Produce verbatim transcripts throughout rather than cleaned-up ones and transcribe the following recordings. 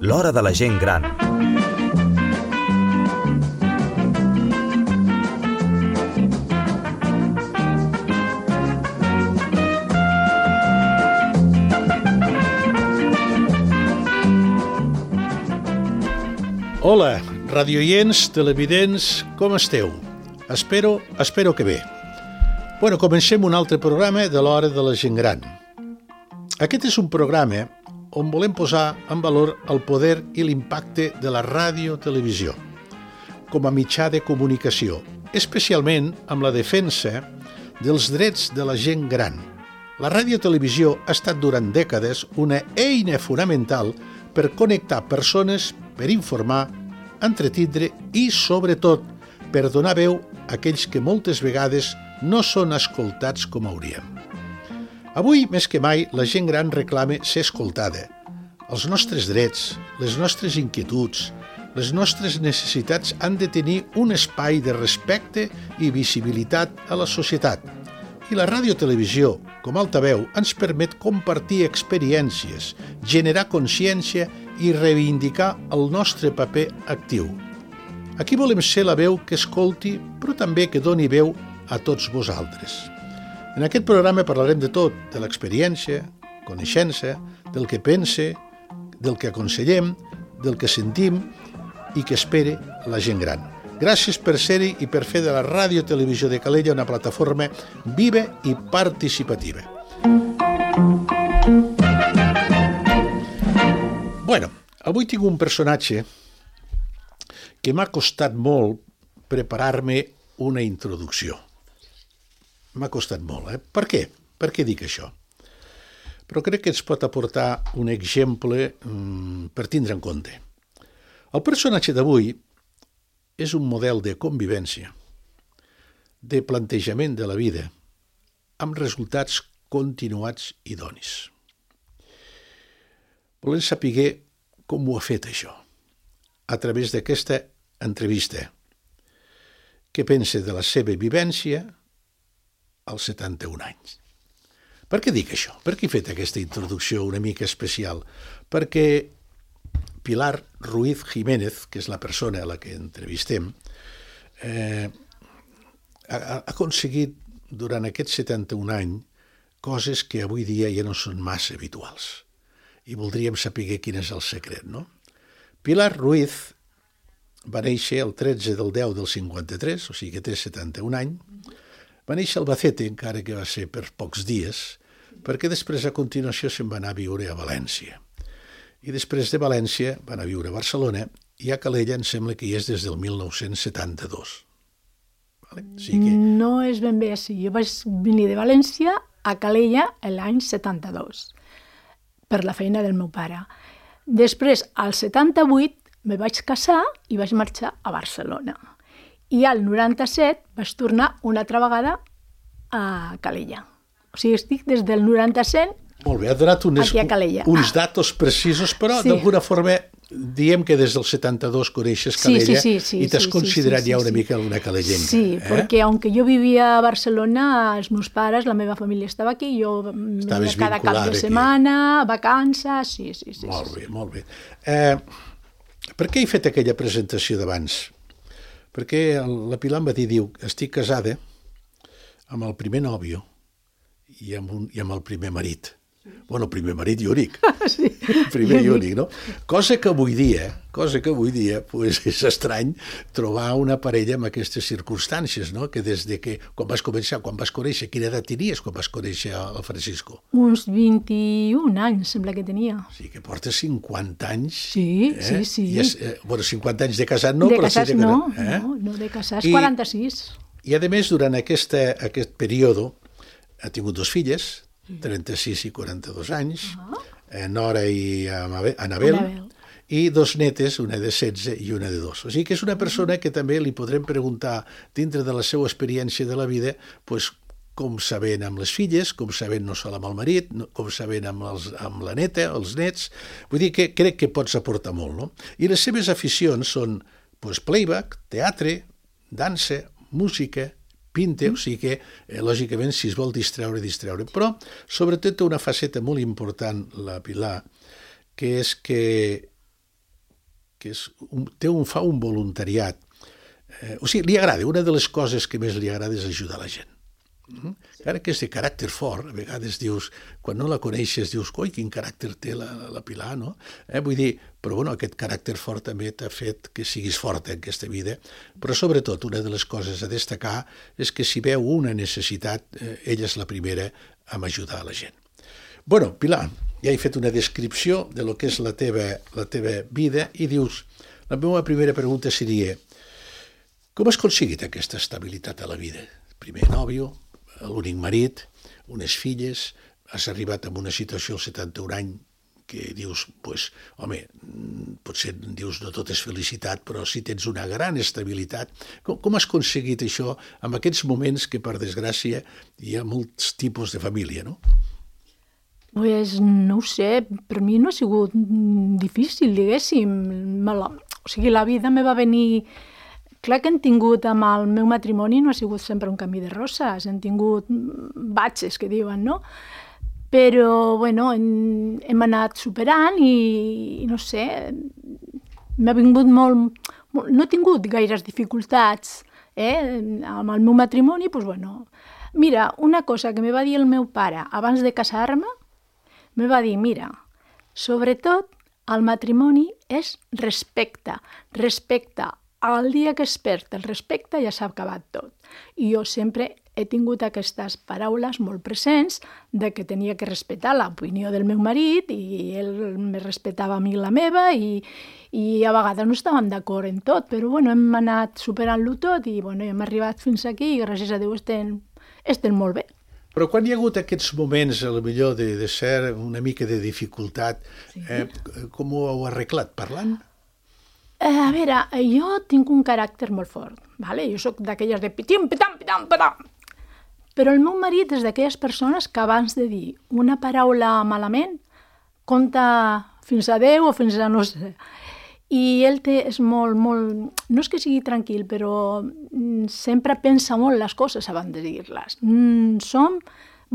L'hora de la gent gran. Hola, radioients, televidents, com esteu? Espero, espero que bé. Bueno, comencem un altre programa de l'hora de la gent gran. Aquest és un programa on volem posar en valor el poder i l'impacte de la ràdio-televisió com a mitjà de comunicació, especialment amb la defensa dels drets de la gent gran. La ràdio-televisió ha estat durant dècades una eina fonamental per connectar persones, per informar, entretindre i, sobretot, per donar veu a aquells que moltes vegades no són escoltats com hauríem. Avui, més que mai, la gent gran reclama ser escoltada. Els nostres drets, les nostres inquietuds, les nostres necessitats han de tenir un espai de respecte i visibilitat a la societat. I la ràdio-televisió, com a altaveu, ens permet compartir experiències, generar consciència i reivindicar el nostre paper actiu. Aquí volem ser la veu que escolti, però també que doni veu a tots vosaltres. En aquest programa parlarem de tot, de l'experiència, coneixença, del que pense, del que aconsellem, del que sentim i que espere la gent gran. Gràcies per ser-hi i per fer de la ràdio-televisió de Calella una plataforma viva i participativa. Bueno, avui tinc un personatge que m'ha costat molt preparar-me una introducció. M'ha costat molt, eh? Per què? Per què dic això? Però crec que ens pot aportar un exemple mmm, per tindre en compte. El personatge d'avui és un model de convivència, de plantejament de la vida, amb resultats continuats i donis. Volem saber com ho ha fet això, a través d'aquesta entrevista. Què pensa de la seva vivència als setanta-un anys? Per què dic això? Per què he fet aquesta introducció una mica especial? Perquè Pilar Ruiz Jiménez, que és la persona a la que entrevistem, eh, ha, ha aconseguit durant aquests setanta-un anys coses que avui dia ja no són massa habituals. I voldríem saber quin és el secret, no? Pilar Ruiz va néixer el tretze del deu del cinquanta-tres, o sigui que té setanta-un anys. Va néixer a Albacete, encara que va ser per pocs dies, perquè després a continuació se'n va anar a viure a València. I després de València va anar a viure a Barcelona i a Calella em sembla que hi és des del mil nou-cents setanta-dos. Vale? O sigui que... No és ben bé així. Jo vaig venir de València a Calella l'any setanta-dos per la feina del meu pare. Després, al setanta-vuit, me vaig casar i vaig marxar a Barcelona. I al noranta-set vaig tornar una altra vegada a Calella. O sigui, estic des del noranta-set Molt bé, ha donat unes, aquí a Calella. uns datos precisos, però Sí. d'alguna forma diem que des del setanta-dos coneixes Calella Sí, sí, sí, sí, i t'has sí, sí, considerat sí, sí, ja una sí. mica una calellenca. Sí, eh? perquè aunque jo vivia a Barcelona, els meus pares, la meva família estava aquí, jo Estaves cada cap vinculada de aquí. setmana, vacances, sí, sí, sí. Molt sí, bé, molt bé. Eh, per què he fet aquella presentació d'abans? Perquè el, la Pilar em va dir, diu, estic casada amb el primer nòvio i amb, un, i amb el primer marit. Bueno, el primer marit i únic. sí. Primer i únic, no? Cosa que avui dia, cosa que avui dia, pues, és estrany trobar una parella amb aquestes circumstàncies, no? Que des de que, quan vas començar, quan vas conèixer, quina edat tenies quan vas conèixer el Francisco? Uns vint-i-un anys, sembla que tenia. O sigui, que portes cinquanta anys. Sí, eh? sí, sí. I és, eh, bueno, cinquanta anys de casat no, de però casats sí de no, casat. Eh? no, no de casats, I- quaranta-sis. I, a més, durant aquesta, aquest període, ha tingut dos filles, trenta-sis i quaranta-dos anys, uh-huh. eh, Nora i Anabel, Anabel, i dos netes, una de setze i una de dos. O sigui que és una persona que també li podrem preguntar, dintre de la seva experiència de la vida, pues, com sabent amb les filles, com sabent no sol amb el marit, no, com sabent amb, els, amb la neta, els nets. Vull dir que crec que pots aportar molt, no? I les seves aficions són pues, playback, teatre, dansa, música, pinte, o sigui que, eh, lògicament, si es vol distreure, distreure. Però, sobretot, té una faceta molt important, la Pilar, que és que, que és un, té un, fa un voluntariat. Eh, o sigui, li agrada, una de les coses que més li agrada és ajudar la gent. Mm? Encara que és de caràcter fort, a vegades dius, quan no la coneixes, dius, coi, quin caràcter té la, la Pilar, no? Eh, vull dir, però bueno, aquest caràcter fort també t'ha fet que siguis forta en aquesta vida, però sobretot una de les coses a destacar és que si veu una necessitat, eh, ella és la primera a ajudar a la gent. Bueno, Pilar, ja he fet una descripció de lo que és la teva, la teva vida i dius, la meva primera pregunta seria, com has aconseguit aquesta estabilitat a la vida? Primer nòvio, l'únic marit, unes filles, has arribat a una situació als setanta-un anys que dius, pues, home, potser dius no tot és felicitat, però sí tens una gran estabilitat. Com, com has aconseguit això en aquests moments que, per desgràcia, hi ha molts tipus de família, no? Pues no ho sé, per mi no ha sigut difícil, diguéssim. O sigui, la vida me va venir... Clar que hem tingut amb el meu matrimoni no ha sigut sempre un camí de roses, hem tingut batxes, que diuen, no? Però, bueno, hem, hem anat superant i, i no sé, m'ha vingut molt, molt... No he tingut gaires dificultats, eh? Amb el meu matrimoni, doncs, bueno... Mira, una cosa que me va dir el meu pare abans de casar-me, me va dir, mira, sobretot el matrimoni és respecte, respecte. El dia que es perd el respecte ja s'ha acabat tot. I jo sempre he tingut aquestes paraules molt presents de que tenia que respectar l'opinió del meu marit i ell me respectava a mi la meva i, i a vegades no estàvem d'acord en tot, però bueno, hem anat superant-lo tot i bueno, hem arribat fins aquí i gràcies a Déu estem, estem molt bé. Però quan hi ha hagut aquests moments, a lo millor, de, de ser una mica de dificultat, sí. eh, com ho heu arreglat? Parlant? A veure, jo tinc un caràcter molt fort, vale? Jo sóc d'aquelles de pitim, pitam, pitam, pitam. Però el meu marit és d'aquelles persones que abans de dir una paraula malament, compta fins a deu o fins a no sé. I ell té, és molt, molt... No és que sigui tranquil, però sempre pensa molt les coses abans de dir-les. Mm, som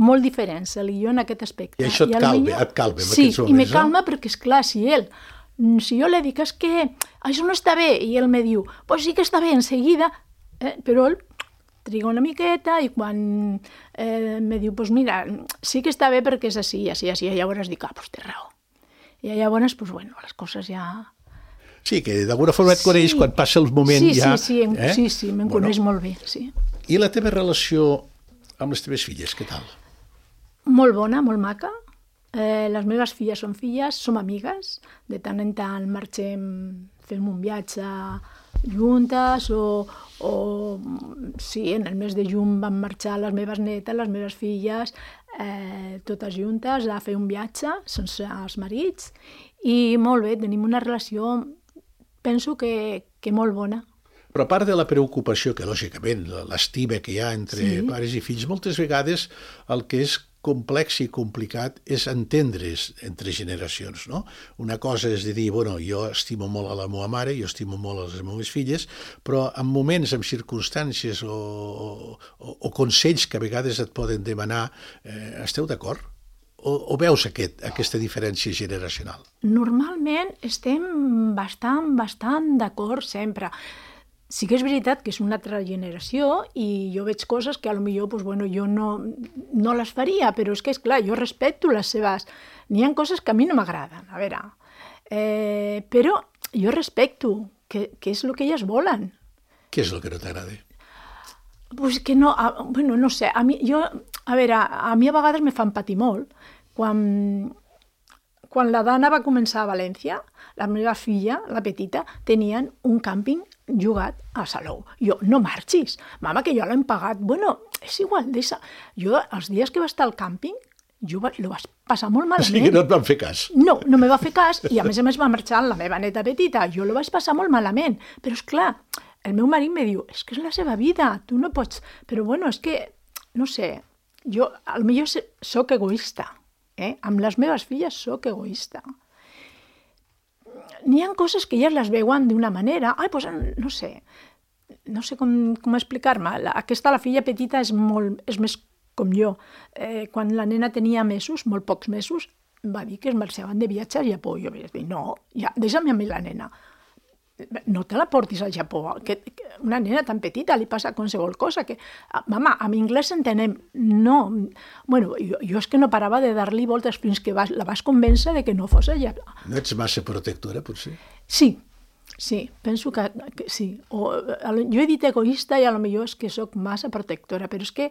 molt diferents, ell i jo, en aquest aspecte. I això et calma, millor... et calma en sí, aquests moments, i me no? calma perquè, esclar, si ell... Si jo li dic, és que això no està bé, i ell me diu, pues sí que està bé, enseguida, eh, però ell triga una miqueta i quan eh, me diu, pues mira, sí que està bé perquè és així, així, així, i llavors dic, ah, pues té raó. I llavors, pues bueno, les coses ja... Sí, que d'alguna forma et sí. coneix quan passa el moment sí, ja... Sí, sí, em, eh? sí, sí, me'n bueno. coneix molt bé, sí. I la teva relació amb les teves filles, què tal? Molt bona, molt maca. Eh, les meves filles són filles, som amigues, de tant en tant marxem, fem un viatge juntes o, o sí, en el mes de juny van marxar les meves netes, les meves filles, eh, totes juntes a fer un viatge sense els marits i molt bé, tenim una relació, penso que, que molt bona. Però a part de la preocupació, que lògicament l'estima que hi ha entre sí. pares i fills, moltes vegades el que és complex i complicat és entendre's entre generacions, no? Una cosa és de dir, bueno, jo estimo molt a la meva mare, jo estimo molt a les meves filles, però en moments, en circumstàncies o, o, o consells que a vegades et poden demanar, eh, esteu d'acord? O, o veus aquest, aquesta diferència generacional? Normalment estem bastant, bastant d'acord sempre. Sí que és veritat que és una altra generació i jo veig coses que potser pues, bueno, jo no, no les faria, però és que, és clar, jo respecto les seves... N'hi ha coses que a mi no m'agraden, a veure. Eh, però jo respecto, que, que és el que elles volen. Què és el que no t'agrada? Pues que no, a, bueno, no sé, a mi, jo, a veure, a mi a vegades me fan patir molt. Quan, quan la Dana va començar a València, la meva filla, la petita, tenien un càmping jugat a Salou. Jo, no marxis, mama, que jo l'hem pagat. Bueno, és igual, deixa. Jo, els dies que va estar al càmping, jo va, lo vaig passar molt malament. O sigui, no et van fer cas. No, no me va fer cas, i a més a més va marxar la meva neta petita. Jo lo vaig passar molt malament. Però, és clar, el meu marit me diu, és que és la seva vida, tu no pots... Però, bueno, és que, no sé, jo, potser soc egoista, eh? Amb les meves filles soc egoista. N'hi ha coses que elles les veuen d'una manera, ai, pues, no sé, no sé com, com explicar-me. La, aquesta, la filla petita, és, molt, és més com jo. Eh, quan la nena tenia mesos, molt pocs mesos, va dir que es marxaven de viatge al Japó. Jo vaig dir, no, ja, deixa'm a mi la nena. No te la portis al Japó, que, que una nena tan petita li passa qualsevol cosa, que, mama, amb anglès entenem, no, bueno, jo, jo és que no parava de dar-li voltes fins que vas, la vas convèncer de que no fos allà. No ets massa protectora, potser? Sí, sí, penso que, que sí. O, jo he dit egoista i a lo millor és que sóc massa protectora, però és que...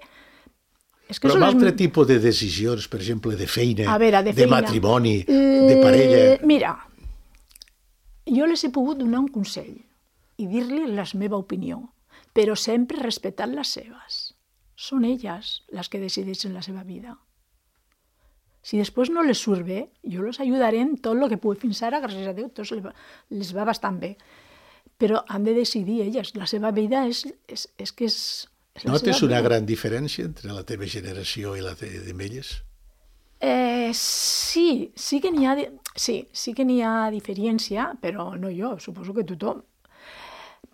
És que però amb les... altre tipus de decisions, per exemple, de feina, a veure, de, de feina. matrimoni, eh, de parella... Mira, jo les he pogut donar un consell i dir-li la meva opinió, però sempre respectant les seves. Són elles les que decideixen la seva vida. Si després no les surt bé, jo les ajudaré en tot el que pugui. Fins ara, gràcies a Déu, tots les va bastant bé. Però han de decidir elles. La seva vida és, és, és que és... és Notes una vida. Gran diferència entre la teva generació i la d'elles? Eh, sí, sí que n'hi ha, sí, sí que n'hi ha diferència, però no jo, suposo que tothom.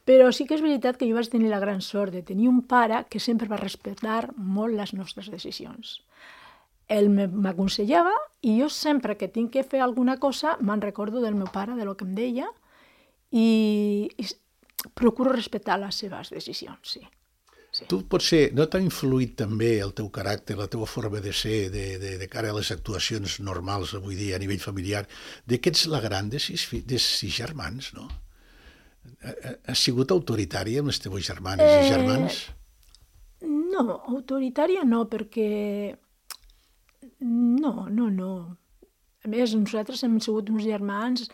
Però sí que és veritat que jo vaig tenir la gran sort de tenir un pare que sempre va respectar molt les nostres decisions. Ell m'aconsellava i jo sempre que tinc que fer alguna cosa me'n recordo del meu pare, de lo que em deia, i, i procuro respectar les seves decisions, sí. Sí. Tu potser no t'ha influït també el teu caràcter, la teva forma de ser, de, de, de cara a les actuacions normals avui dia a nivell familiar, de que ets la gran de sis, de sis germans, no? Has sigut autoritària amb les teves germanes eh, i germans? No, autoritària no, perquè... No, no, no. A més, nosaltres hem sigut uns germans...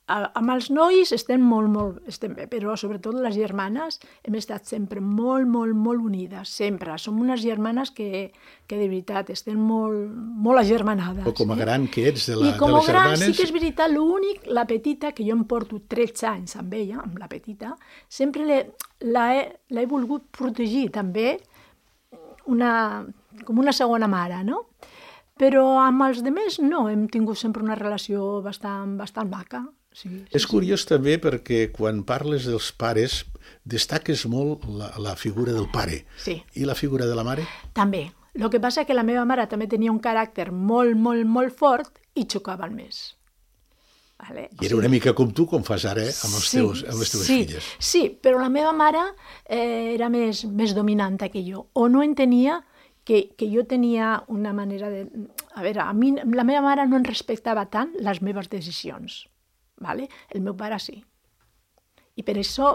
Amb els nois estem molt, molt, estem bé, però sobretot les germanes hem estat sempre molt, molt, molt unides, sempre. Som unes germanes que, que de veritat estem molt, molt agermanades. O com a gran que ets de, la, de les germanes. I com a gran germanes... sí que és veritat, l'únic, la petita, que jo em porto tretze anys amb ella, amb la petita, sempre l'he volgut protegir també una, com una segona mare, no? Però amb els altres no, hem tingut sempre una relació bastant, bastant maca. Sí, sí, és curiós sí. També perquè quan parles dels pares destaques molt la, la figura del pare. Sí. I la figura de la mare? També. El que passa és que la meva mare també tenia un caràcter molt, molt, molt fort i xocaven més. Vale? I era una mica com tu, com fas ara, eh? amb, els sí, teus, amb les teves sí, filles. Sí, però la meva mare eh, era més, més dominant que jo. O no entenia que, que jo tenia una manera de... A veure, a mi, la meva mare no em respectava tant les meves decisions. Vale? El meu pare sí. I per això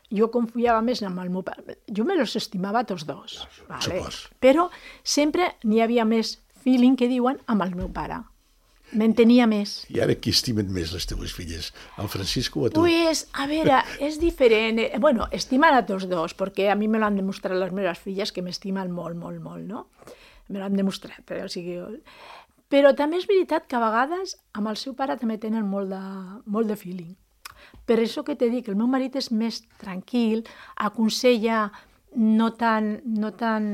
jo confiava més en el meu pare. Jo me los estimava tots dos. Vale? Però sempre n'hi havia més feeling, que diuen, amb el meu pare. M'entenia més. I ara qui estimen més les teves filles? El Francisco o a tu? Pues, a veure, és diferent. Bueno, estimen a tots dos, perquè a mi me l'han demostrat les meves filles, que m'estimen molt, molt, molt, no? Me l'han demostrat, però o sigui... Però també és veritat que a vegades amb el seu pare també tenen molt de, molt de feeling. Per això que t'he dit que el meu marit és més tranquil, aconsella no tan, no tan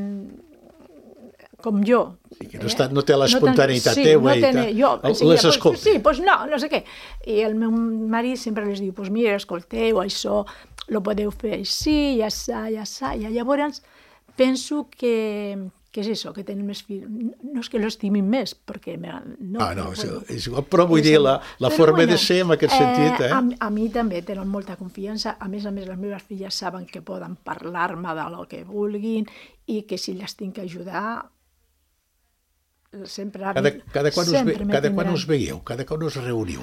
com jo. Sí, que no, està, no té l'espontaneïtat no tan, teua sí, no ten, i jo, el, les pues, escolta. Sí, doncs pues no, no sé què. I el meu marit sempre les diu, doncs pues mira, escolteu, això lo podeu fer així, ja sa, ja sa. I llavors penso que... que és això, que tenen més fills. No és que l'estimin més, perquè... No, ah, no, bueno, és igual, però vull dir, la, la forma bueno, de ser en aquest eh, sentit, eh? A, a mi també tenen molta confiança. A més a més, les meves filles saben que poden parlar-me de lo que vulguin i que si les tinc que ajudar, sempre... Cada, cada, quan, sempre us ve, cada quan us veieu? Cada quan us reuniu?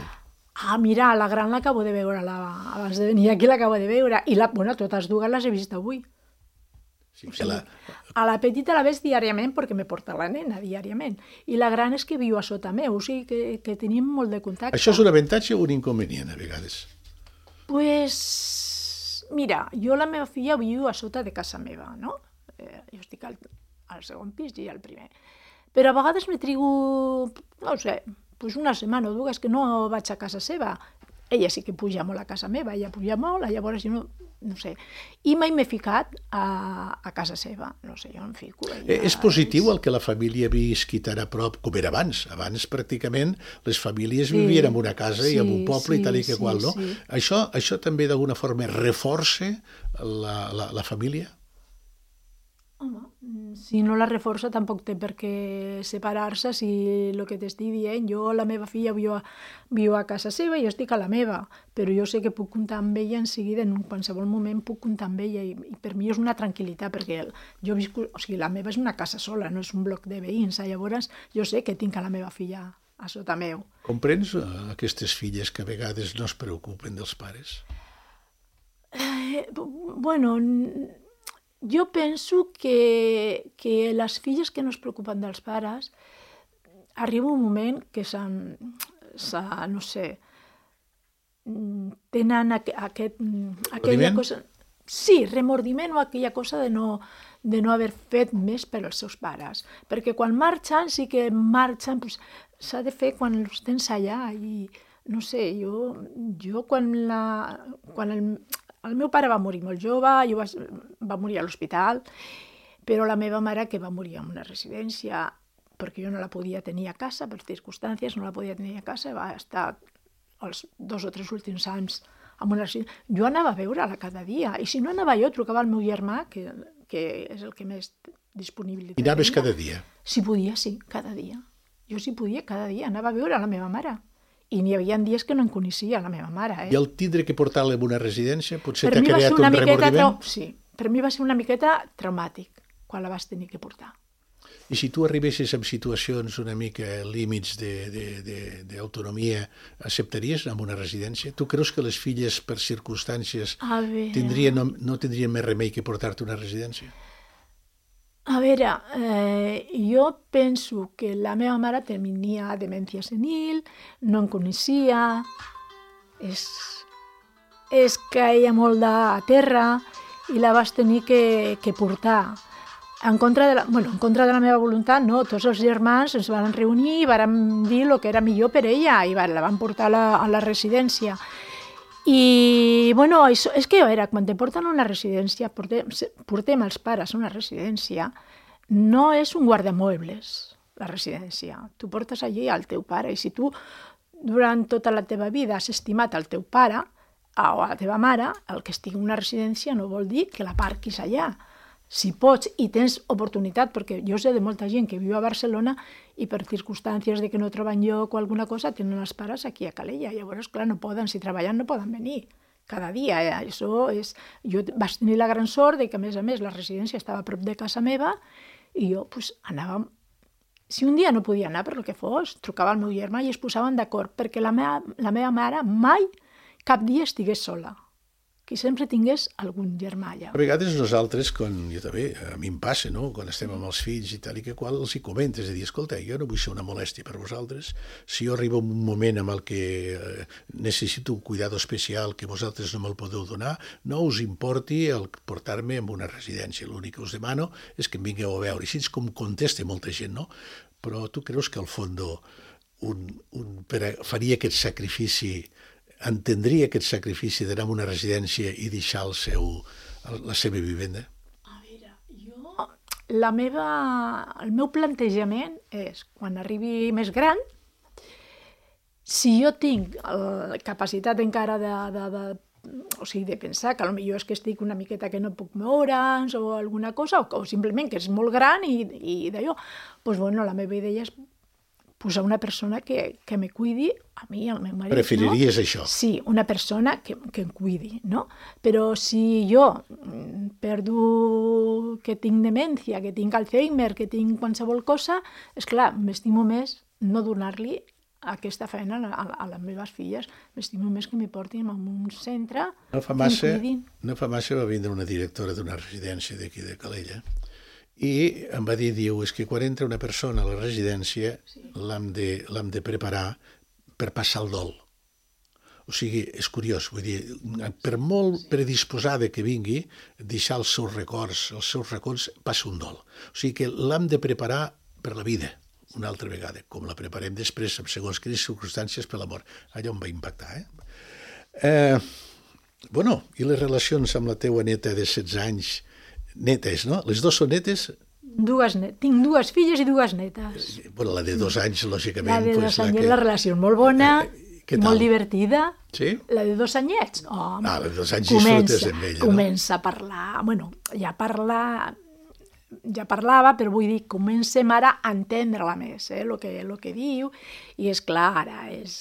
Ah, mira, la gran l'acabo de veure, la, abans de venir aquí l'acabo de veure, i la, bueno, totes dues les he vist avui. Sí, o sigui, la... A la petita la veig diàriament perquè me porta la nena diàriament. I la gran és que viu a sota meu, o sigui que, que tenim molt de contacte. Això és un avantatge o un inconvenient, a vegades? Pues, mira, jo la meva filla viu a sota de casa meva, no? Eh, jo estic al, al segon pis i al primer. Però a vegades me trigo, no sé, pues una setmana o dues que no vaig a casa seva. ella sí que puja molt a casa meva, ella puja molt, llavors jo no, no sé. I mai m'he ficat a, a casa seva, no sé, jo em fico. Ella, és positiu el que la família visqui tan a prop com era abans. Abans, pràcticament, les famílies sí, vivien en una casa sí, i en un poble sí, i tal i que sí, qual, no? Sí. Això, això també d'alguna forma reforça la, la, la família? Home, si no la reforça tampoc té per què separar-se, si el que t'estic dient, jo, la meva filla viu a, viu a casa seva i jo estic a la meva, però jo sé que puc comptar amb ella en seguida, en qualsevol moment puc comptar amb ella i, i per mi és una tranquil·litat, perquè el, jo visco, o sigui, la meva és una casa sola, no és un bloc de veïns, llavors jo sé que tinc a la meva filla a sota meu. Comprens aquestes filles que a vegades no es preocupen dels pares? Eh, bueno... Jo penso que, que les filles que no es preocupen dels pares arriba un moment que s'han, no sé, tenen aquest, aquella cosa... Sí, remordiment o aquella cosa de no, de no haver fet més per als seus pares. Perquè quan marxen, sí que marxen, pues, s'ha de fer quan els tens allà i, no sé, jo, jo quan la... Quan el, El meu pare va morir molt jove, jo va, va morir a l'hospital, però la meva mare, que va morir en una residència, perquè jo no la podia tenir a casa, per circumstàncies, no la podia tenir a casa, va estar els dos o tres últims anys en una residència. Jo anava a veure-la cada dia, i si no anava jo, trucava al meu germà, que, que és el que més disponibilitat tenia. I anaves cada dia? Si podia, sí, cada dia. Jo si podia, cada dia anava a veure la meva mare. I n'hi havia dies que no en coneixia la meva mare. Eh? I el tindre que portar-la en una residència potser t'ha creat un remordiment? Trau... Sí, per mi va ser una miqueta traumàtic quan la vas tenir que portar. I si tu arribessis en situacions una mica límits d'autonomia, acceptaries anar a una residència? Tu creus que les filles, per circumstàncies, tindrien, no, no tindrien més remei que portar-te a una residència? A veure, eh, jo penso que la meva mare tenia demència senil, no em coneixia, és, és caia molt de terra i la vas tenir que, que portar. En contra, de la, bueno, en contra de la meva voluntat, no, tots els germans ens van reunir i van dir el que era millor per ella i la van portar a la, a la residència. I, bueno, això, és que, a veure, quan te porten a una residència, portem, portem els pares a una residència, no és un guardamuebles, la residència. Tu portes allí al teu pare, i si tu, durant tota la teva vida, has estimat el teu pare o a la teva mare, el que estigui en una residència no vol dir que la parquis allà. Si pots i tens oportunitat, perquè jo sé de molta gent que viu a Barcelona i per circumstàncies de que no troben lloc o alguna cosa tenen els pares aquí a Calella. Llavors, clar, no poden, si treballen no poden venir cada dia. Eh? Això és... Jo vaig tenir la gran sort de que, a més a més, la residència estava a prop de casa meva i jo pues, anava... Si un dia no podia anar per el que fos, trucava al meu germà i es posaven d'acord perquè la meva, la meva mare mai cap dia estigués sola. Que sempre tingués algun germà allà. A vegades nosaltres, quan, jo també, a mi em passa, no? Quan estem amb els fills i tal i que qual, els hi comentes, de dir, escolta, jo no vull ser una molèstia per vosaltres, si jo arribo a un moment en el que eh, necessito un cuidado especial que vosaltres no me'l podeu donar, no us importi el portar-me a una residència. L'únic que us demano és que em vingueu a veure. Així és com contesta molta gent, no? Però tu creus que al fons un, un, per a, faria aquest sacrifici, entendria aquest sacrifici d'anar a una residència i deixar el seu, la seva vivenda? A veure, jo... La meva, el meu plantejament és, quan arribi més gran, si jo tinc la capacitat encara de, de, de, o sigui, de pensar que potser és que estic una miqueta que no puc moure'ns o alguna cosa, o, o simplement que és molt gran i, i d'allò, doncs, bueno, la meva idea és posar una persona que, que me cuidi, a mi, al meu marit, preferiries no? Això? Sí, una persona que, que em cuidi, no? Però si jo perdo que tinc demència, que tinc Alzheimer, que tinc qualsevol cosa, és clar, m'estimo més no donar-li aquesta feina a, a les meves filles, m'estimo més que m'hi portin en un centre no fa massa, que em cuidin. No fa massa va vindre una directora d'una residència d'aquí de Calella, i em va dir, diu, és que quan entra una persona a la residència sí. l'hem de, l'hem de preparar per passar el dol. O sigui, és curiós, vull dir, per molt sí. predisposada que vingui, deixar els seus records, els seus records, passa un dol. O sigui que l'hem de preparar per la vida, una altra vegada, com la preparem després, en segons quines circumstàncies, per la mort. Allò em va impactar, eh? Eh, bueno, i les relacions amb la teua neta de setze anys, netes, no? Les dues són netes? Dues net... Tinc dues filles i dues netes. Bueno, la de dos anys, lògicament... La de pues, dos la anyets, que... la relació és molt bona, Què i tal? molt divertida. Sí? La de dos anyets, home, Ah, la de dos anys comença, disfrutes amb ella, no? comença a parlar, bueno, ja parla, ja parlava, però vull dir, comencem ara a entendre-la més, eh, el que, lo que diu, i és clar, ara és...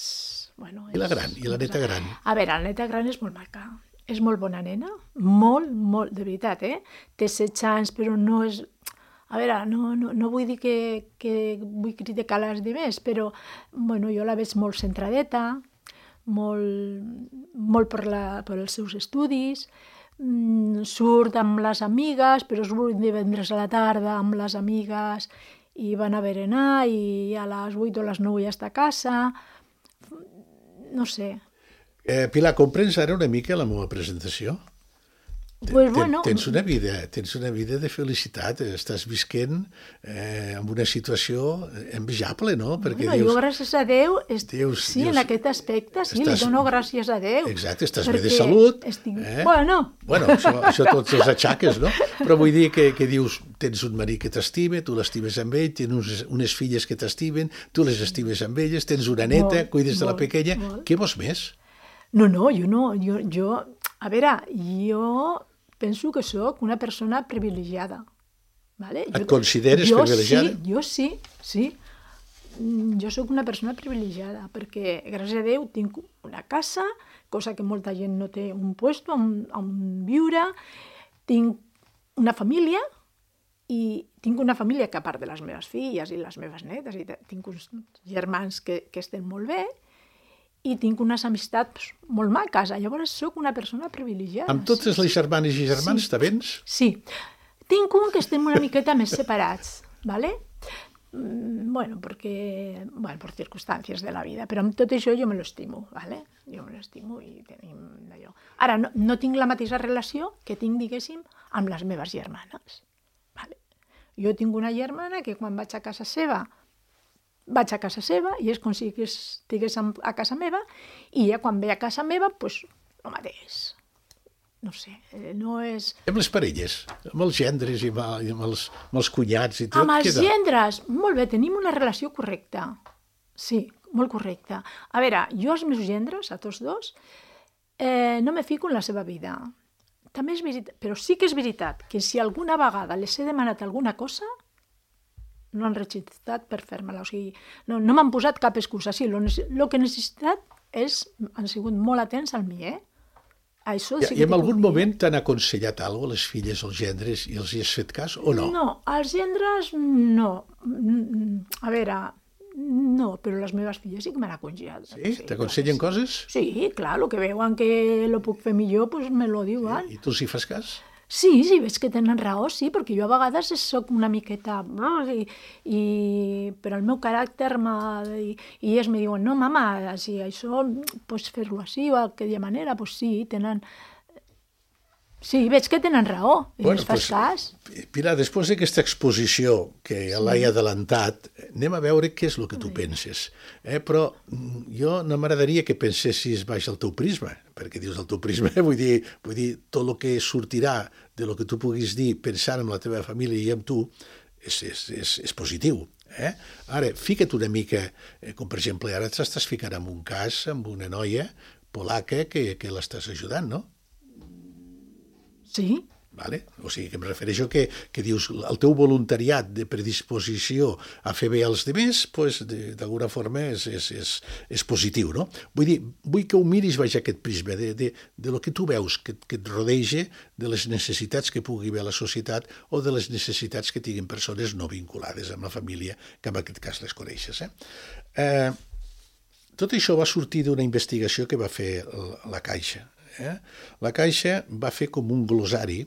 Bueno, I la és- gran, i la neta gran? A veure, la neta gran és molt maca, és molt bona nena, molt, molt, de veritat, eh? Té setze anys, però no és... A veure, no, no, no vull dir que, que vull criticar les demés, però bueno, jo la veig molt centradeta, molt, molt per, la, per els seus estudis, mm, surt amb les amigues, però es vull divendres a la tarda amb les amigues i van a berenar i a les vuit o a les nou ja està a casa. No sé. Eh, Pilar, comprens ara una mica la meva presentació? Pues Ten- bueno, tens una vida, tens una vida de felicitat, estàs visquent eh, en una situació envejable, no? Perquè bueno, dius, jo gràcies a Déu, est... dius- sí, dius- en aquest aspecte, sí, estàs- li dono gràcies a Déu. Exacte, estàs bé de perquè salut. Estic... eh? Bueno, Bueno, això, això tots els aixaques, no? Però vull dir que, que dius, tens un marit que t'estima, tu l'estimes amb ell, tens unes, unes filles que t'estimen, tu les estimes amb elles, tens una neta, Molt, cuides de la molt, pequeña. molt. Què vols més? no, no, jo no, jo, jo... A veure, jo penso que sóc una persona privilegiada. Vale? Et Jo- consideres jo privilegiada? Sí, jo sí, sí. Mm, Jo sóc una persona privilegiada perquè, gràcies a Déu, tinc una casa, cosa que molta gent no té, un puesto on, on viure, tinc una família i tinc una família que, a part de les meves filles i les meves netes, i te- tinc uns germans que, que estan molt bé, i tinc unes amistats molt maques. Llavors sóc una persona privilegiada. Amb totes les germanes i germans, Sí. te vens? Sí. Tinc un que estem una miqueta més separats, ¿vale? Mm, Bueno, perquè, bueno, per circumstàncies de la vida, però amb tot això jo me l'estimo, ¿vale? Jo me l'estimo i tenim allò. Ara, no, no tinc la mateixa relació que tinc, diguéssim, amb les meves germanes, ¿vale? Jo tinc una germana que quan vaig a casa seva vaig a casa seva i és com si estigués a casa meva i ja quan ve a casa meva, doncs, pues, el mateix. No sé, eh, no és... Amb les parelles, amb els gendres i amb, i amb, els, amb els cunyats i tot. Amb els què tal? gendres, molt bé, tenim una relació correcta. Sí, molt correcta. A veure, jo als meus gendres, a tots dos, eh, no me fico en la seva vida. També és veritat, però sí que és veritat que si alguna vegada les he demanat alguna cosa, no han regitat per fer-me-la. O sigui, no, no m'han posat cap excusa. Sí, el que he necessitat és, han sigut molt atents al mi, eh? Això I, sí I que en t'ho algun puc dir. moment t'han aconsellat alguna cosa, les filles, els gendres, i els hi has fet cas o no? No, els gendres no. A veure, no, però les meves filles sí que m'han aconsellat. Sí? T'aconsellen clar que coses? Sí, sí, clar, el que veuen que lo puc fer millor, pues me lo diuen. I tu els hi fas cas? Sí, sí, veig que tenen raó, sí, perquè jo a vegades sóc una miqueta... I, i, però el meu caràcter m'ha... I, i ells me diuen, no, mama, si això pots fer-lo així o d'aquella manera, doncs sí, tenen... Sí, veig que tenen raó, i bueno, els fas pues, cas. Pilar, després d'aquesta exposició que ja sí. l'he adelantat, anem a veure què és el que tu penses. Eh? Però mm, jo no m'agradaria que pensessis baix el teu prisma, perquè dius el teu prisma, vull dir, vull dir tot el que sortirà de lo que tu puguis dir pensant en la teva família i amb tu és, és, és, és positiu. Eh? Ara, fica't una mica, eh, com per exemple, ara t'estàs ficant en un cas amb una noia polaca que, que l'estàs ajudant, no? Sí. Vale? O sigui, que em refereixo que, que dius el teu voluntariat de predisposició a fer bé als demés, pues, d'alguna forma és, és, és, és positiu, no? Vull dir, vull que ho miris baix aquest prisma, de, de, de lo que tu veus que, que et rodeja, de les necessitats que pugui haver la societat o de les necessitats que tinguin persones no vinculades amb la família, que en aquest cas les coneixes. Eh? Eh, tot això va sortir d'una investigació que va fer la Caixa. Eh? La Caixa va fer com un glossari,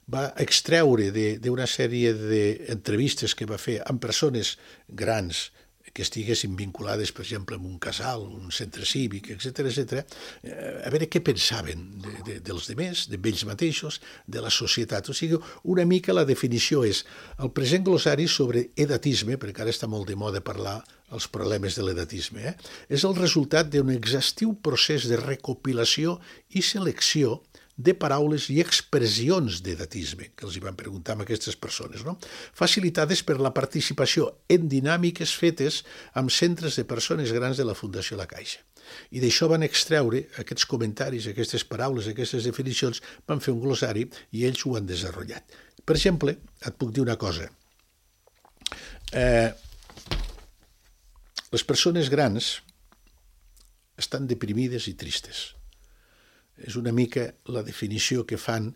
va extreure d'una sèrie d'entrevistes que va fer amb persones grans que estiguessin vinculades, per exemple, amb un casal, un centre cívic, etcètera, etcètera, a veure què pensaven de, de, dels demés, d'ells mateixos, de la societat. O sigui, una mica la definició és el present glossari sobre edatisme, perquè ara està molt de moda parlar els problemes de l'edatisme, eh? És el resultat d'un exhaustiu procés de recopilació i selecció de paraules i expressions d'edatisme, que els hi van preguntar a aquestes persones, no? Facilitades per la participació en dinàmiques fetes amb centres de persones grans de la Fundació La Caixa. I d'això van extreure aquests comentaris, aquestes paraules, aquestes definicions, van fer un glossari i ells ho han desenvolupat. Per exemple, et puc dir una cosa. Eh, les persones grans estan deprimides i tristes. És una mica la definició que fan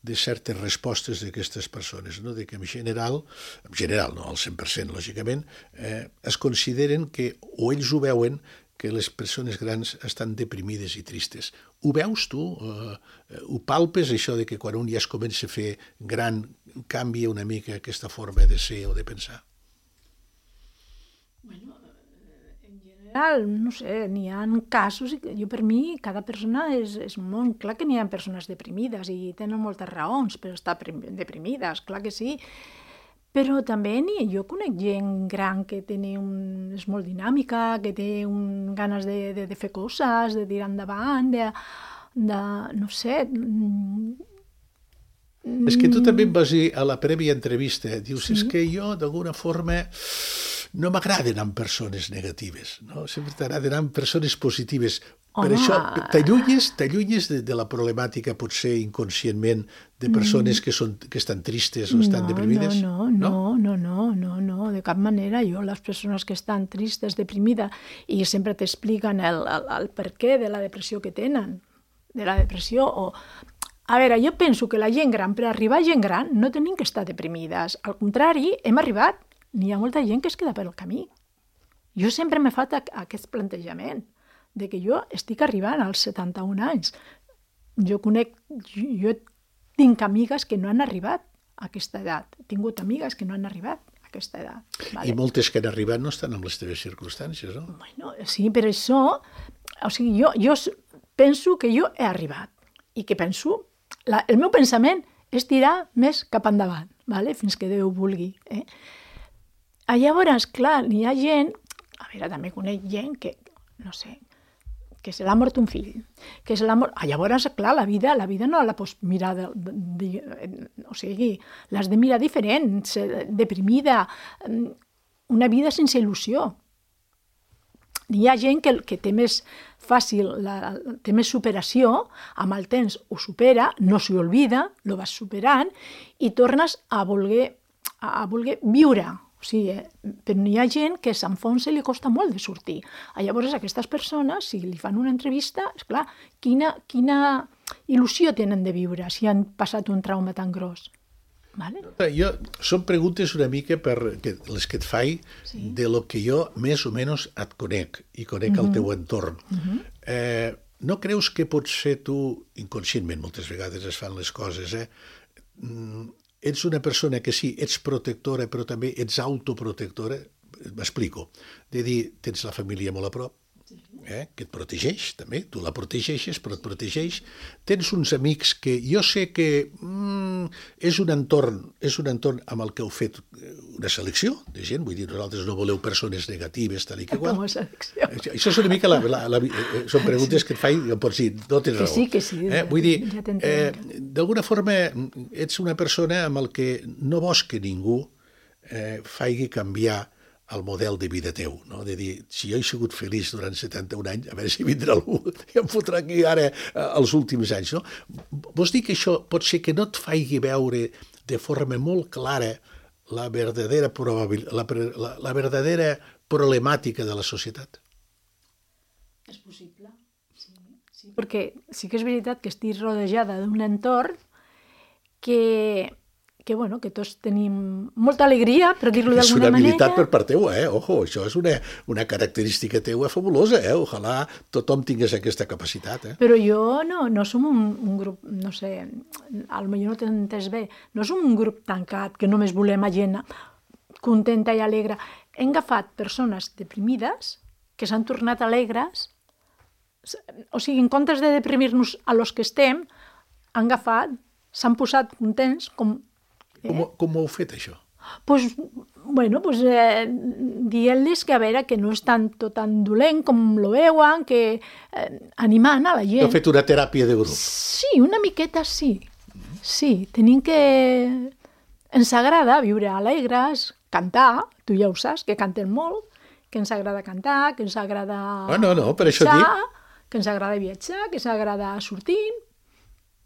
de certes respostes d'aquestes persones, no? De que en general, en general, no al cent per cent, lògicament, eh, es consideren que, o ells ho veuen, que les persones grans estan deprimides i tristes. Ho veus tu? Eh, ho palpes, això de que quan un ja es comença a fer gran canvia una mica aquesta forma de ser o de pensar? Bueno, no sé, n'hi ha casos, jo per mi, cada persona és, és molt clar que n'hi ha persones deprimides i tenen moltes raons per estar deprimides, clar que sí, però també ni, jo conec gent gran que té un, és molt dinàmica, que té un, ganes de, de, de fer coses, de tirar endavant, de, de no sé... És que tu també em vas dir a la prèvia entrevista, dius, sí? És que jo d'alguna forma no m'agraden amb persones negatives, no? Sempre t'agraden amb persones positives. Home. Per això t'allunyes, t'allunyes de, de la problemàtica potser inconscientment de persones mm. que, són, que estan tristes o estan no, deprimides? No, no, no, no, no, no, no, de cap manera. Jo, les persones que estan tristes, deprimides, i sempre t'expliquen el, el, el per què de la depressió que tenen, de la depressió o... A veure, jo penso que la gent gran, per arribar a gent gran, no tenim que estar deprimides. Al contrari, hem arribat. N'hi ha molta gent que es queda pel camí. Jo sempre m'he fet aquest plantejament, de que jo estic arribant als setanta-un anys. Jo conec, jo tinc amigues que no han arribat a aquesta edat. He tingut amigues que no han arribat a aquesta edat. Vale? I moltes que han arribat no estan en les teves circumstàncies, no? Bueno, sí, per això, o sigui, jo, jo penso que jo he arribat i que penso... La, el meu pensament és tirar més cap endavant, vale? Fins que Déu vulgui. Eh? Llavors, clar, n'hi ha gent, a veure, també conec gent que, no sé, que se l'ha mort un fill, que se l'ha mort... Ah, llavors, clar, la vida, la vida no la pots mirar, de, de, de, o sigui, l'has de mirar diferent, deprimida, una vida sense il·lusió. Hi ha gent que, que té més fàcil, la, té més superació, amb el temps ho supera, no s'hi olvida, lo vas superant i tornes a voler, a voler viure. O sigui, però hi ha gent que s'enfonsa i li costa molt de sortir. Llavors, aquestes persones, si li fan una entrevista, esclar, quina, quina il·lusió tenen de viure si han passat un trauma tan gros. Vale. Jo, són preguntes una mica per que, les que et faig sí. De lo que jo més o menys et conec i conec uh-huh. el teu entorn. Uh-huh. Eh, no creus que potser tu, inconscientment moltes vegades es fan les coses, eh? Ets una persona que sí, ets protectora, però també ets autoprotectora? M'explico. De dir, tens la família molt a prop, eh, que et protegeix, també, tu la protegeixes, però et protegeix. Tens uns amics que jo sé que mm, és un entorn, és un entorn amb el que heu fet una selecció de gent, vull dir, nosaltres no voleu persones negatives, tal i que igual. Com a selecció. Això és una mica, la, la, la, són preguntes que et faig, em pots dir, no tens raó. Que sí, que sí. Eh? Vull dir, ja eh, d'alguna forma ets una persona amb el que no vols que ningú eh, faci canviar el model de vida teu, no? De dir, si jo he sigut feliç durant setanta-un anys, a veure si vindrà algú i em fotrà aquí ara els últims anys, no? Vols dir que això pot ser que no et faci veure de forma molt clara la verdadera, probabil, la, la, la verdadera problemàtica de la societat? És possible, sí, sí. Perquè sí que és veritat que estic rodejada d'un entorn que... que, bueno, que tots tenim molta alegria, per dir-lo d'alguna manera. És una habilitat per part teua, eh? Ojo, això és una, una característica teua fabulosa, eh? Ojalà tothom tingués aquesta capacitat, eh? Però jo no, no som un, un grup, no sé, potser no t'he entès bé, no som un grup tancat, que només volem a gent contenta i alegre. hem agafat persones deprimides que s'han tornat alegres, o sigui, en comptes de deprimir-nos a los que estem, han agafat, s'han posat contents com... Eh? Com, com ho heu fet, això? Pues, bueno, pues, eh, dient-los que a veure, que no és tan, tot tan dolent com lo veuen, que eh, animant a la gent. Heu fet una teràpia de grup? Sí, una miqueta sí. Sí, tenim que... Ens agrada viure alegres, cantar, tu ja ho saps, que cantem molt, que ens agrada cantar, que ens agrada oh, no, no, per viatjar, això dic. que ens agrada viatjar, que ens agrada sortir.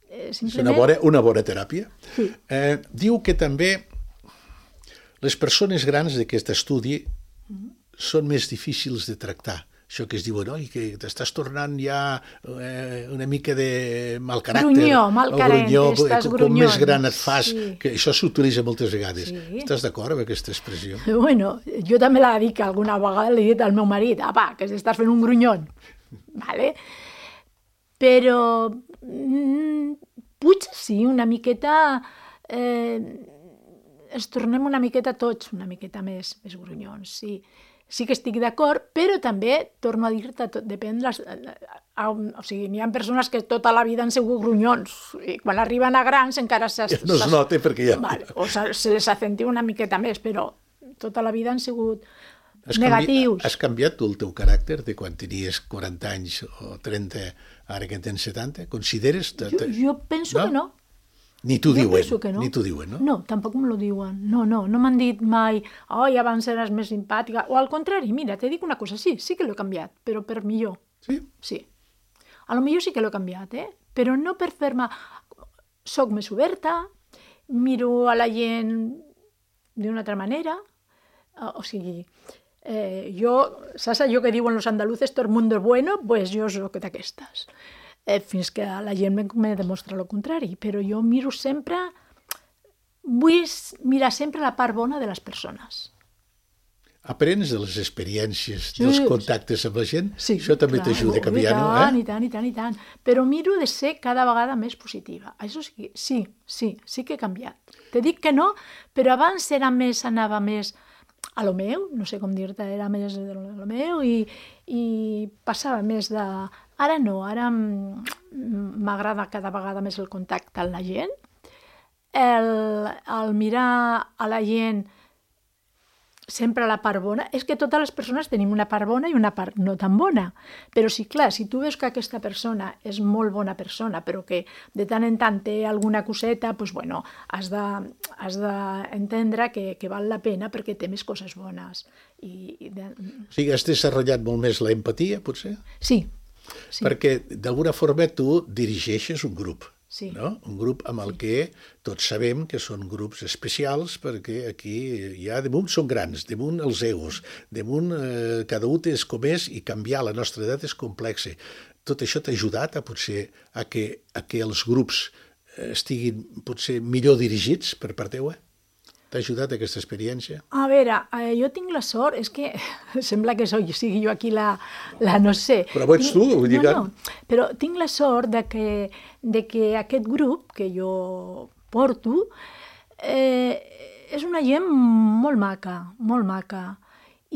Eh, simplement... És una bona, una bona teràpia. Sí. Eh, diu que també les persones grans d'aquest estudi mm-hmm. són més difícils de tractar. Això que es diuen, oi, que t'estàs tornant ja eh, una mica de mal caràcter. Grunyó, mal caràcter, grunyó, estàs com, grunyón. Com més gran et fas, sí. que això s'utilitza moltes vegades. Sí. Estàs d'acord amb aquesta expressió? Bueno, jo també la dic alguna vegada, li he dit al meu marit, apa, que estàs fent un grunyon. Vale? Però mm, potser sí, una miqueta... Eh, ens tornem una miqueta tots, una miqueta més, més grunyons, sí. Sí que estic d'acord, però també, torno a dir-te, depèn... Les, a, o sigui, n'hi ha persones que tota la vida han sigut grunyons, i quan arriben a grans encara s'has... No es nota perquè ja... Vale, o se les accentua una miqueta més, però tota la vida han sigut has negatius. Canvi... Has canviat tu el teu caràcter de quan tenies quaranta anys o trenta, ara que en tens setanta? Consideres... Jo, jo penso no? que no. Ni t'ho diuen, no. ni t'ho diuen, no? No, tampoc me lo diuen. No, no, no m'han dit mai, oi, abans eres més simpàtica. O al contrari, mira, te dic una cosa, sí, sí que l'he canviat, però per millor. Sí? Sí. A lo millor sí que l'he canviat, eh? Però no per fer-me... Soc més oberta, miro a la gent d'una altra manera, o sigui, eh, jo, saps allò que diuen los andaluces, todo el mundo es bueno? Pues jo soc d'aquestes. Eh, fins que la gent me demostra el contrari, però jo miro sempre, vull mirar sempre la part bona de les persones. Aprens de les experiències, sí, dels contactes amb la gent? Sí, això també t'ajuda a canviar, no? Eh? I tant, i tant, i tant. Però miro de ser cada vegada més positiva. Això sí, sí, sí, sí que he canviat. Te dic que no, però abans era més, anava més a lo meu, no sé com dir-te, era més de lo meu i, i passava més de... Ara no, ara m'agrada cada vegada més el contacte amb la gent, el, el mirar a la gent sempre la part bona. És que totes les persones tenim una part bona i una part no tan bona, però sí, clar, si tu veus que aquesta persona és molt bona persona, però que de tant en tant té alguna coseta, doncs, bueno, has de, has d'entendre que, que val la pena perquè té més coses bones. I, i de... O sigui, has desenvolupat molt més la empatia, potser? Sí. Sí. Perquè d'alguna forma tu dirigeixes un grup, sí. no? Un grup amb el sí. que tots sabem que són grups especials perquè aquí ja damunt són grans, damunt els egos, damunt eh, cada un és com és i canviar la nostra edat és complexa. Tot això t'ha ajudat a potser a que, a que els grups estiguin potser millor dirigits per part teua? T'ha ajudat aquesta experiència? A veure, eh, jo tinc la sort, és que sembla que soy, sigui jo aquí la, la no sé. Però ho ets tu, vull dir que... No, no, però tinc la sort de que, de que aquest grup que jo porto eh, és una gent molt maca, molt maca.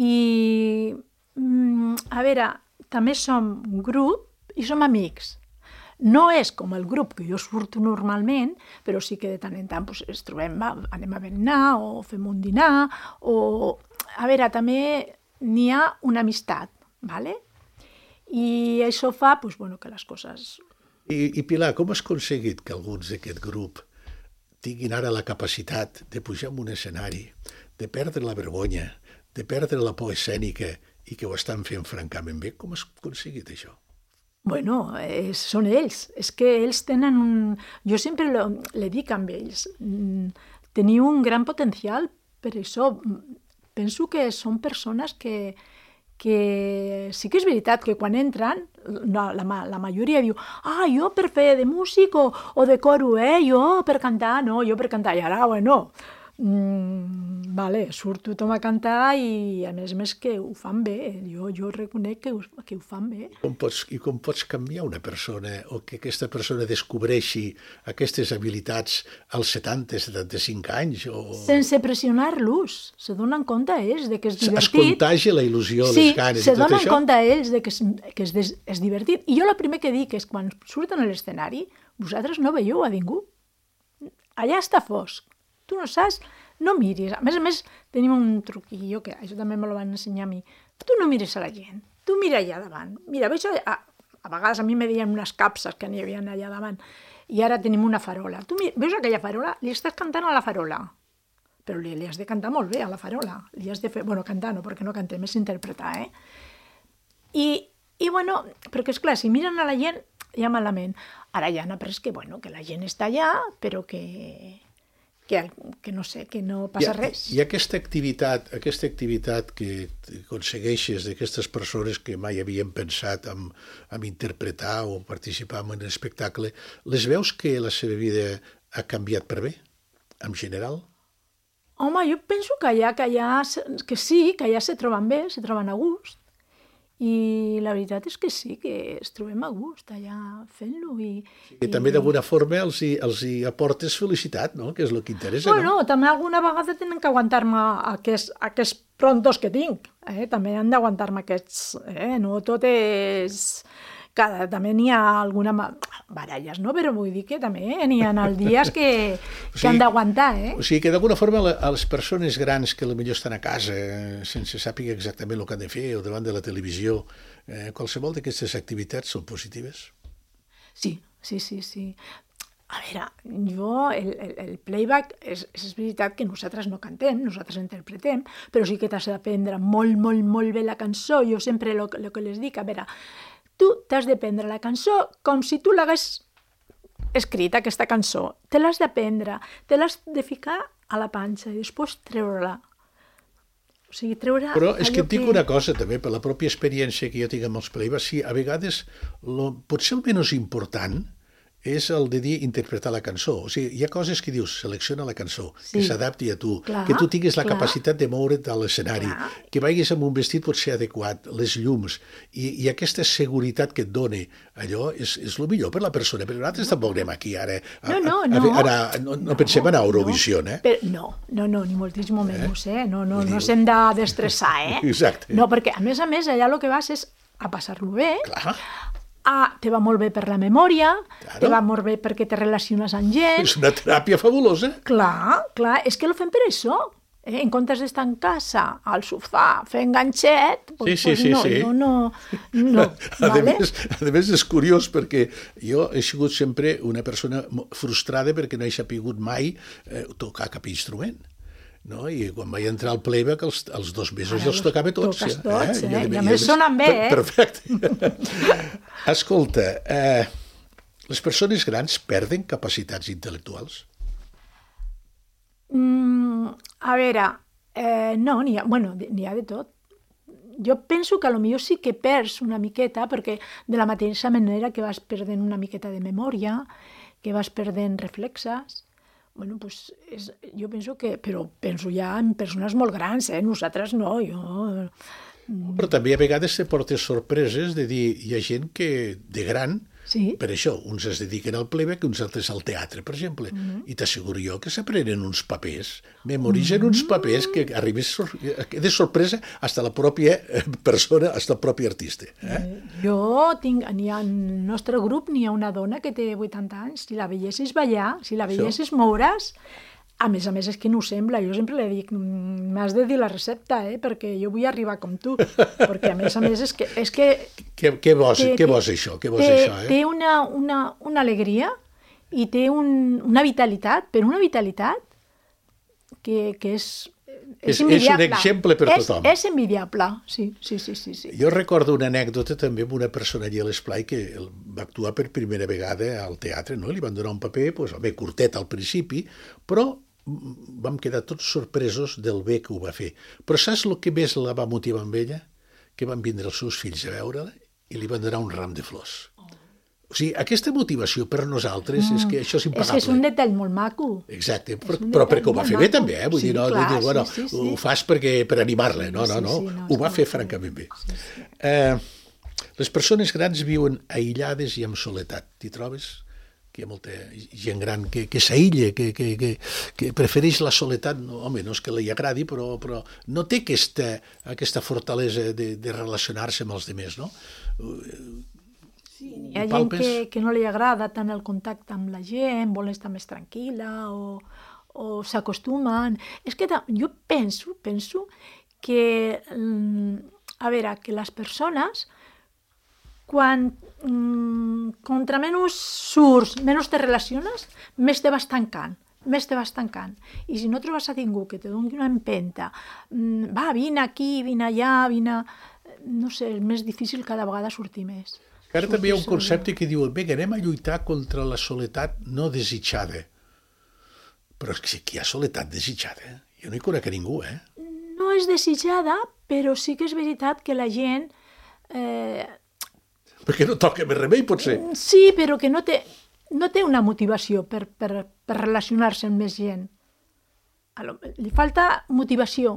I, a veure, també som un grup i som amics. No és com el grup que jo surto normalment, però sí que de tant en tant pues, ens trobem, va, anem a berenar o fem un dinar, o... A veure, també n'hi ha una amistat, ¿vale? I això fa pues, bueno, que les coses... I, I Pilar, com has aconseguit que alguns d'aquest grup tinguin ara la capacitat de pujar en un escenari, de perdre la vergonya, de perdre la por escènica i que ho estan fent francament bé? Com has aconseguit això? Bueno, eh, són ells. És que ells tenen un... Jo sempre lo, le dic amb ells. Teniu un gran potencial per això. Penso que són persones que, que sí que és veritat que quan entren, la, la, la majoria diu ah, jo per fer de músic o, o de coro, eh? Jo per cantar, no, jo per cantar. I ara, bueno, mm, vale, surt tothom a cantar i a més a més que ho fan bé, jo, jo reconec que ho, que ho fan bé. Com pots, I com pots canviar una persona o que aquesta persona descobreixi aquestes habilitats als setanta, setanta-cinc anys? O... Sense pressionar-los, se donen compte ells de que és divertit. Es contagia la il·lusió, sí, les ganes i tot això? Sí, se donen compte ells de que és, que és, és divertit. I jo el primer que dic és quan surten a l'escenari, vosaltres no veieu a ningú. Allà està fosc. Tu no saps, no miris. A més a més, tenim un truquillo, que això també me lo van ensenyar a mi. Tu no mires a la gent, tu mira allà davant. Mira, veig allà, a, a vegades a mi me deien unes capses que n'hi havia allà davant, i ara tenim una farola. Tu veus aquella farola? Li estàs cantant a la farola. Però li, li has de cantar molt bé a la farola. Li has de fer... Bueno, cantar no, perquè no cantem, és interpretar, eh? I, i bueno, perquè esclar, si miren a la gent, ja malament. Ara ja han après que, bueno, que la gent està allà, però que... Que, que no sé, que no passa I, res. I aquesta activitat, aquesta activitat que aconsegueixes d'aquestes persones que mai havien pensat en, en interpretar o participar en un espectacle, les veus que la seva vida ha canviat per bé, en general? Home, jo penso que allà, que allà, que sí, que allà se troben bé, se troben a gust. I la veritat és que sí, que es trobem a gust allà fent-lo. I, sí, que i... també d'alguna forma els hi, els hi aportes felicitat, no? Que és el que interessa. Bueno, no? També alguna vegada tenen que aguantar-me aquests, aquests prontos que tinc. Eh? També han d'aguantar-me aquests... Eh? No tot és... Cada, també n'hi ha alguna... baralles, no? Però vull dir que també n'hi ha els dies que, que o sigui, han d'aguantar, eh? O sigui que d'alguna forma a les persones grans que potser estan a casa sense sàpiga exactament el que han de fer o davant de la televisió, eh, qualsevol d'aquestes activitats són positives? Sí, sí, sí, sí. A veure, jo, el, el, el playback, és, és veritat que nosaltres no cantem, nosaltres interpretem, però sí que t'has d'aprendre molt, molt, molt bé la cançó. Jo sempre el que les dic, a veure, tu t'has de prendre la cançó com si tu l'hagués escrit, aquesta cançó. Te l'has de prendre, te l'has de ficar a la panxa i després treure-la. O sigui, treure... Però és que et dic que... una cosa, també, per la pròpia experiència que jo tinc amb els playbacks, sí, a vegades lo, potser el menys important és el de dir interpretar la cançó. O sigui, hi ha coses que dius, selecciona la cançó, sí, que s'adapti a tu, clar, que tu tinguis la clar. capacitat de moure't a l'escenari, clar. que vagis amb un vestit potser adequat, les llums, i, i aquesta seguretat que et dona allò és, és el millor per la persona. Però nosaltres tampoc anem aquí ara a, no, no, a, no. a, a, a, no, no pensem anar a Eurovisió, no, eh? Però, no, no, no, ni moltíssim menys, eh? No, no, no s'hem de destressar, eh? Exacte. No, perquè a més a més allà el que vas és a passar-lo bé, clar. Ah, te va molt bé per la memòria, claro. te va molt bé perquè te relaciones amb gent. És una teràpia fabulosa. Clar, clar, és que lo fem per això. Eh? En comptes d'estar en casa, al sofà, fent ganxet, pues, sí, sí, pues sí, no, sí. no, no, no. a, vale? més, a més, és curiós perquè jo he sigut sempre una persona frustrada perquè no he sapigut mai eh, tocar cap instrument. No? I quan vaig entrar al playback, els, els dos mesos ja els tocava tots. Toques tots, eh? eh? I, I a més sonen bé, eh? Perfecte. Escolta, eh, les persones grans perden capacitats intel·lectuals? Mm, a veure, eh, no, n'hi ha, bueno, n'hi ha de tot. Jo penso que potser sí que perds una miqueta, perquè de la mateixa manera que vas perdent una miqueta de memòria, que vas perdent reflexes. Bueno, pues és, jo penso que... Però penso ja en persones molt grans, eh? Nosaltres no, jo... Però també a vegades te portes sorpreses de dir, hi ha gent que de gran, sí. per això, uns es dediquen al playback i uns altres al teatre, per exemple, mm-hmm. i t'asseguro jo que s'aprenen uns papers, memoritzen mm-hmm. uns papers que arribes sor de sorpresa fins a la pròpia persona, fins al propi artista. Eh? Jo tinc, n'hi ha, en el nostre grup n'hi ha una dona que té vuitanta anys, si la veiessis ballar, si la veiessis això. moure's, a més a més és que no ho sembla, jo sempre li dic, m'has de dir la recepta, eh? Perquè jo vull arribar com tu, perquè a més a més és que... És que què, què vols, té, què vols això? Què vols té, això eh? Té una, una, una alegria i té un, una vitalitat, però una vitalitat que, que és, és, és envidiable. És un exemple per és, tothom. És envidiable, sí, sí, sí, sí, sí. Jo recordo una anècdota també amb una persona allà a l'Esplai que va actuar per primera vegada al teatre, no? Li van donar un paper, pues, bé, curtet al principi, però vam quedar tots sorpresos del bé que ho va fer. Però saps el que més la va motivar amb ella? Que van vindre els seus fills a veure-la i li van donar un ram de flors. O sigui, aquesta motivació per nosaltres és que això és impagable. És que és un detall molt maco. Exacte, però, però perquè ho va fer bé també, eh? Vull sí, dir, no, clar, dir, bueno, sí, sí, sí. ho fas perquè, per animar-la, no, no, no, Sí, sí, no, ho va fer sí, francament bé. Sí, sí. Eh, les persones grans viuen aïllades i amb soledat. T'hi trobes? Que hi ha molta gent gran que, que s'aïlla, que, que, que, que prefereix la soledat. No, home, no és que li agradi, però, però no té aquesta, aquesta fortalesa de, de relacionar-se amb els demés, no? Sí, hi ha gent que, que no li agrada tant el contacte amb la gent, vol estar més tranquil·la o, o s'acostumen. És que jo penso, penso que, a veure, que les persones, quan contra menys surts, menys te relaciones, més te vas tancant, més te vas tancant. I si no trobes a ningú que te doni una empenta, va, vine aquí, vine allà, vine... No sé, és més difícil cada vegada sortir més. Ara també hi ha un concepte que diu, vinga, anem a lluitar contra la soledat no desitjada. Però és que sí que hi ha soledat desitjada. Jo no hi conec a ningú, eh? No és desitjada, però sí que és veritat que la gent... Eh... Perquè no toca més remei, potser. Sí, però que no té, no té una motivació per, per, per relacionar-se amb més gent. Li falta motivació.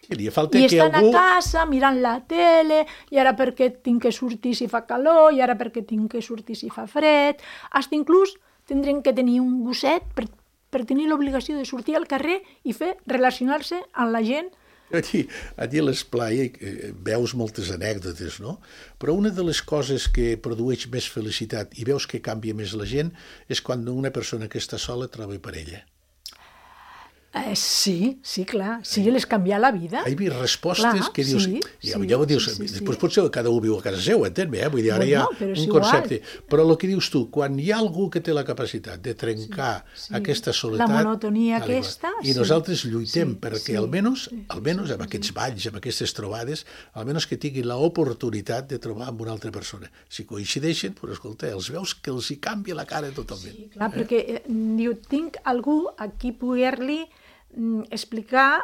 I, li falta I que estan algú... a casa mirant la tele, i ara perquè tinc que sortir si fa calor, i ara perquè tinc que sortir si fa fred. Fins inclús tindrem que tenir un gosset per, per tenir l'obligació de sortir al carrer i fer relacionar-se amb la gent. Allí, allí a l'esplai veus moltes anècdotes, no? Però una de les coses que produeix més felicitat i veus que canvia més la gent és quan una persona que està sola troba parella. Eh, sí, sí, clar. Sí, les canvia la vida. He vist respostes clar, que dius... Sí, ja, sí, ja ho dius, sí, sí, després sí. potser cada un viu a casa seu, entén-me, eh? Vull dir, ara bueno, hi ha un és concepte. igual. Però el que dius tu, quan hi ha algú que té la capacitat de trencar sí, sí. aquesta soledat... La monotonia aquesta... I nosaltres lluitem sí, perquè sí, almenys, sí, almenys sí, amb aquests balls, amb aquestes trobades, almenys que tinguin l'oportunitat de trobar amb una altra persona. Si coincideixen, però escolta, els veus que els hi canvia la cara totalment. Sí, clar, eh? Perquè eh, diu, tinc algú a qui poder-li mm, explicar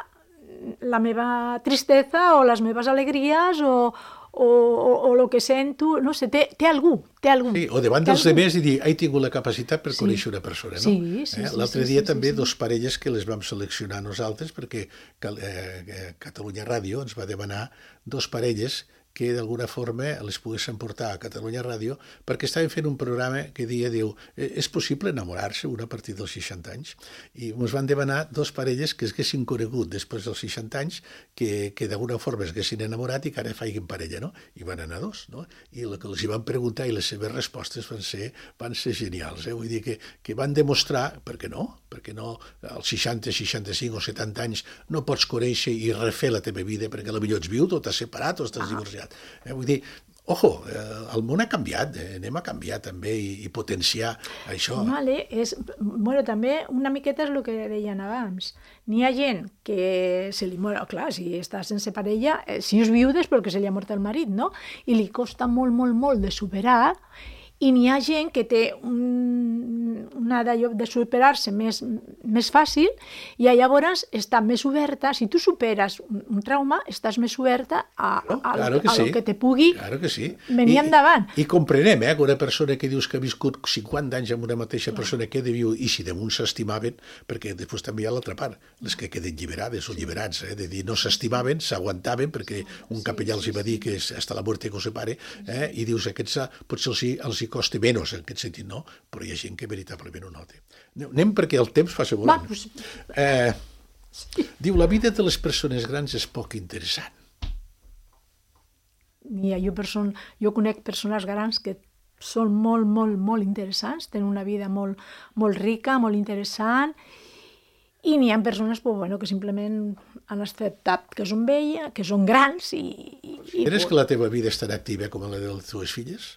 la meva tristesa o les meves alegries o, o, o, o el que sento, no sé, té, té algú, té algú. Sí, o davant dels algú. Demés i dir, he tingut la capacitat per sí. conèixer una persona, no? Sí, sí, eh? sí. L'altre sí, dia sí, també sí, sí. dos parelles que les vam seleccionar nosaltres perquè eh, Catalunya Ràdio ens va demanar dos parelles que d'alguna forma les poguessin portar a Catalunya Ràdio perquè estaven fent un programa que dia, diu, és possible enamorar-se una a partir dels seixanta anys? I ens van demanar dos parelles que es haguessin conegut després dels seixanta anys, que, que d'alguna forma es haguessin enamorat i que ara faiguin parella, no? I van anar dos, no? I el que els hi van preguntar i les seves respostes van ser, van ser genials, eh? Vull dir que, que van demostrar, per què no? Perquè no, als seixanta, seixanta-cinc o setanta anys no pots conèixer i refer la teva vida perquè potser ets viut o t'has separat o estàs divorciat. Eh, vull dir, ojo, eh, el món ha canviat, eh, anem a canviar també i, i potenciar això. Vale, és, bueno, també una miqueta és el que deien abans. N'hi ha gent que se li mor, clar, si està sense parella, eh, si és viudes perquè se li ha mort el marit, no? I li costa molt, molt, molt de superar, i n'hi ha gent que té un, una d'allò de superar-se més, més fàcil i llavors està més oberta, si tu superes un, un trauma, estàs més oberta a, a, claro que a, sí. a lo que te pugui claro que sí. venir I, endavant. I, i comprenem, eh, que una persona que dius que ha viscut cinquanta anys amb una mateixa claro. persona que de viu, i si damunt s'estimaven, perquè després també hi ha l'altra part, les que queden lliberades o lliberats, eh, de dir no s'estimaven, s'aguantaven, perquè un capellà els hi va dir que és hasta la muerte que os separe, eh, i dius, aquests potser els hi, els hi costa menys en aquest sentit, no? Però hi ha gent que veritablement ho nota. Anem perquè el temps fa volant. Va, pues... eh, sí. Diu, la vida de les persones grans és poc interessant. Ja, jo, person... jo conec persones grans que són molt, molt, molt interessants, tenen una vida molt, molt rica, molt interessant, i n'hi ha persones pues, bueno, que simplement han acceptat que són velles, que són grans i... i Creus pues... que la teva vida és tan activa com la de les teves filles?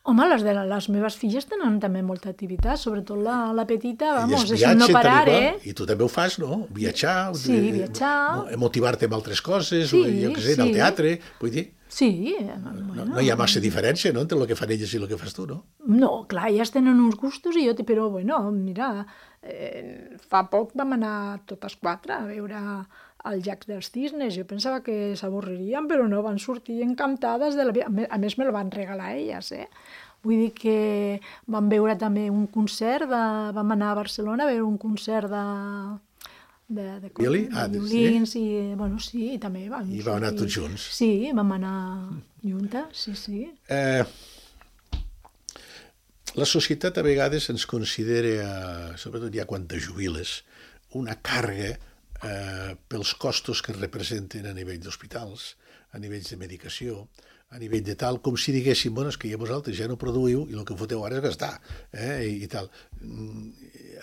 Home, les de les meves filles tenen també molta activitat, sobretot la, la petita, vamos, és viatge, no parar, també, eh? I tu també ho fas, no? Viatjar, Sí, de, viatjar. motivar-te amb altres coses, Sí, o, jo què sé, sí. al teatre, vull dir... Sí. No, Bueno, no hi ha massa diferència, no?, entre el que fan elles i el que fas tu, no? No, clar, elles tenen uns gustos i jo... Però, bueno, mira, eh, fa poc vam anar totes quatre a veure al llac dels cisnes. Jo pensava que s'avorririen, però no, van sortir encantades de la vida. A més, me el van regalar elles, eh? Vull dir que vam veure també un concert, de, vam anar a Barcelona a veure un concert de... de, de, Violí? de Ah, violins, sí? i, bueno, sí, i també vam I vau anar tots junts? Sí, vam anar juntes, sí, sí. Eh, la societat a vegades ens considera, sobretot ja quan te jubiles, una càrrega eh, pels costos que representen a nivell d'hospitals, a nivells de medicació, a nivell de tal, com si diguéssim, bueno, és que ja vosaltres ja no produïu i el que foteu ara és gastar, eh, i, i tal.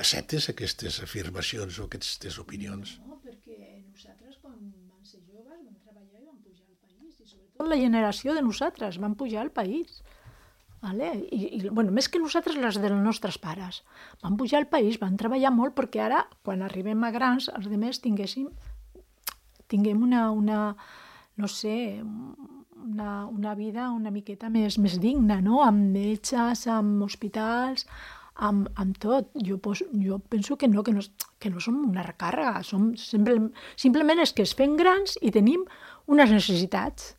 Acceptes aquestes afirmacions o aquestes opinions? No, perquè nosaltres, quan vam ser joves, vam treballar i vam pujar al país, i sobretot la generació de nosaltres vam pujar al país. Vale? I, i, bueno, més que nosaltres, les dels nostres pares. Vam pujar al país, vam treballar molt perquè ara, quan arribem a grans, els altres tinguéssim, tinguem una, una no sé, una, una vida una miqueta més, més digna, no? Amb metges, amb hospitals, amb, amb tot. Jo, pos, jo penso que no, que no, que no som una recàrrega, som simple, simplement és que es fem grans i tenim unes necessitats.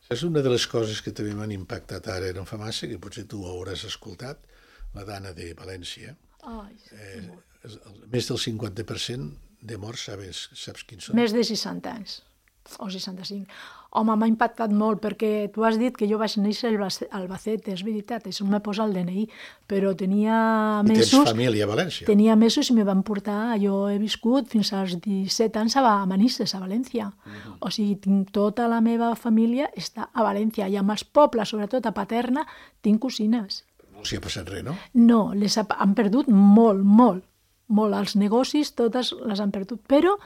És una de les coses que també m'han impactat ara no fa massa, que potser tu hauràs escoltat, la dana de València. Ai, eh, més del cinquanta per cent de morts, saps, saps quins són? Més de seixanta anys. O seixanta-cinc. Home, m'ha impactat molt, perquè tu has dit que jo vaig néixer a Albacete, és veritat, això me posa el D N I, però tenia mesos... I tens família a València? Tenia mesos i me van portar, jo he viscut fins als disset anys a Manises, a València. Uh-huh. O sigui, tinc tota la meva família està a València, i amb els pobles, sobretot a Paterna, tinc cosines. No els hi ha passat res, no? No, les ha, han perdut molt, molt, molt. Els negocis, totes les han perdut, però...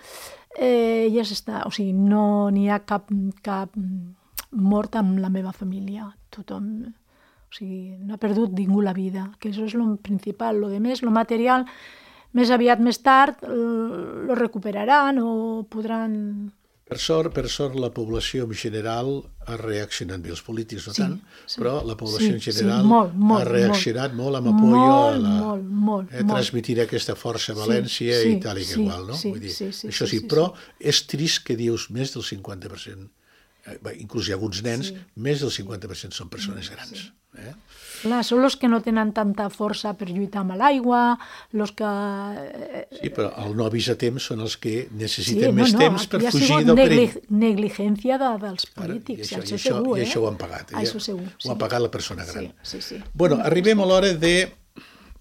Eh, ja s'està, o sigui, no n'hi ha cap, cap mort amb la meva família. Tothom, o sigui, no ha perdut ningú la vida, que això és el principal. Lo de més, lo material, més aviat, més tard, lo recuperaran o podran... Per sort, per sort, la població en general ha reaccionat bé, els polítics no sí, tant, sí, però la població sí, en general sí, molt, molt, ha reaccionat molt, molt amb molt, apoyo a la... Molt, molt, eh, transmitir aquesta força a València sí, i tal i que sí, igual, no? Sí, Vull dir, sí, sí, això sí, sí, sí, però és trist que dius més del cinquanta per cent, eh, inclús hi ha alguns nens, sí. més del cinquanta per cent són persones grans. Sí. Eh? Clar, són els que no tenen tanta força per lluitar amb l'aigua, els que... Sí, però el no avís a temps són els que necessiten sí, més no, no, temps per fugir del negli perill. negligència de, dels polítics, Ara, i això, això, i això, segur, i eh? això ho han pagat. Eh? Això segur, ho ha pagat la persona gran. Sí, sí, sí. Bueno, arribem a l'hora de,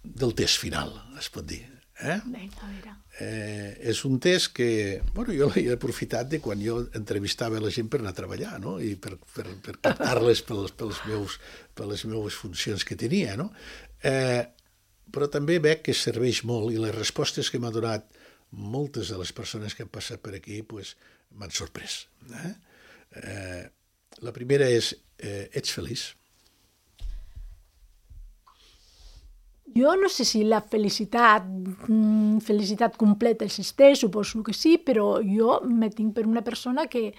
del test final, es pot dir. Eh? Vinga, a veure. Eh, és un test que, bueno, jo l'he aprofitat de quan jo entrevistava la gent per anar a treballar, no? I per, per, per captar-les pels, pels meus, per les meves funcions que tenia, no? Eh, però també veig que serveix molt i les respostes que m'ha donat moltes de les persones que han passat per aquí pues, m'han sorprès. Eh? Eh, la primera és, eh, ets feliç? Jo no sé si la felicitat, felicitat completa existeix, suposo que sí, però jo me tinc per una persona que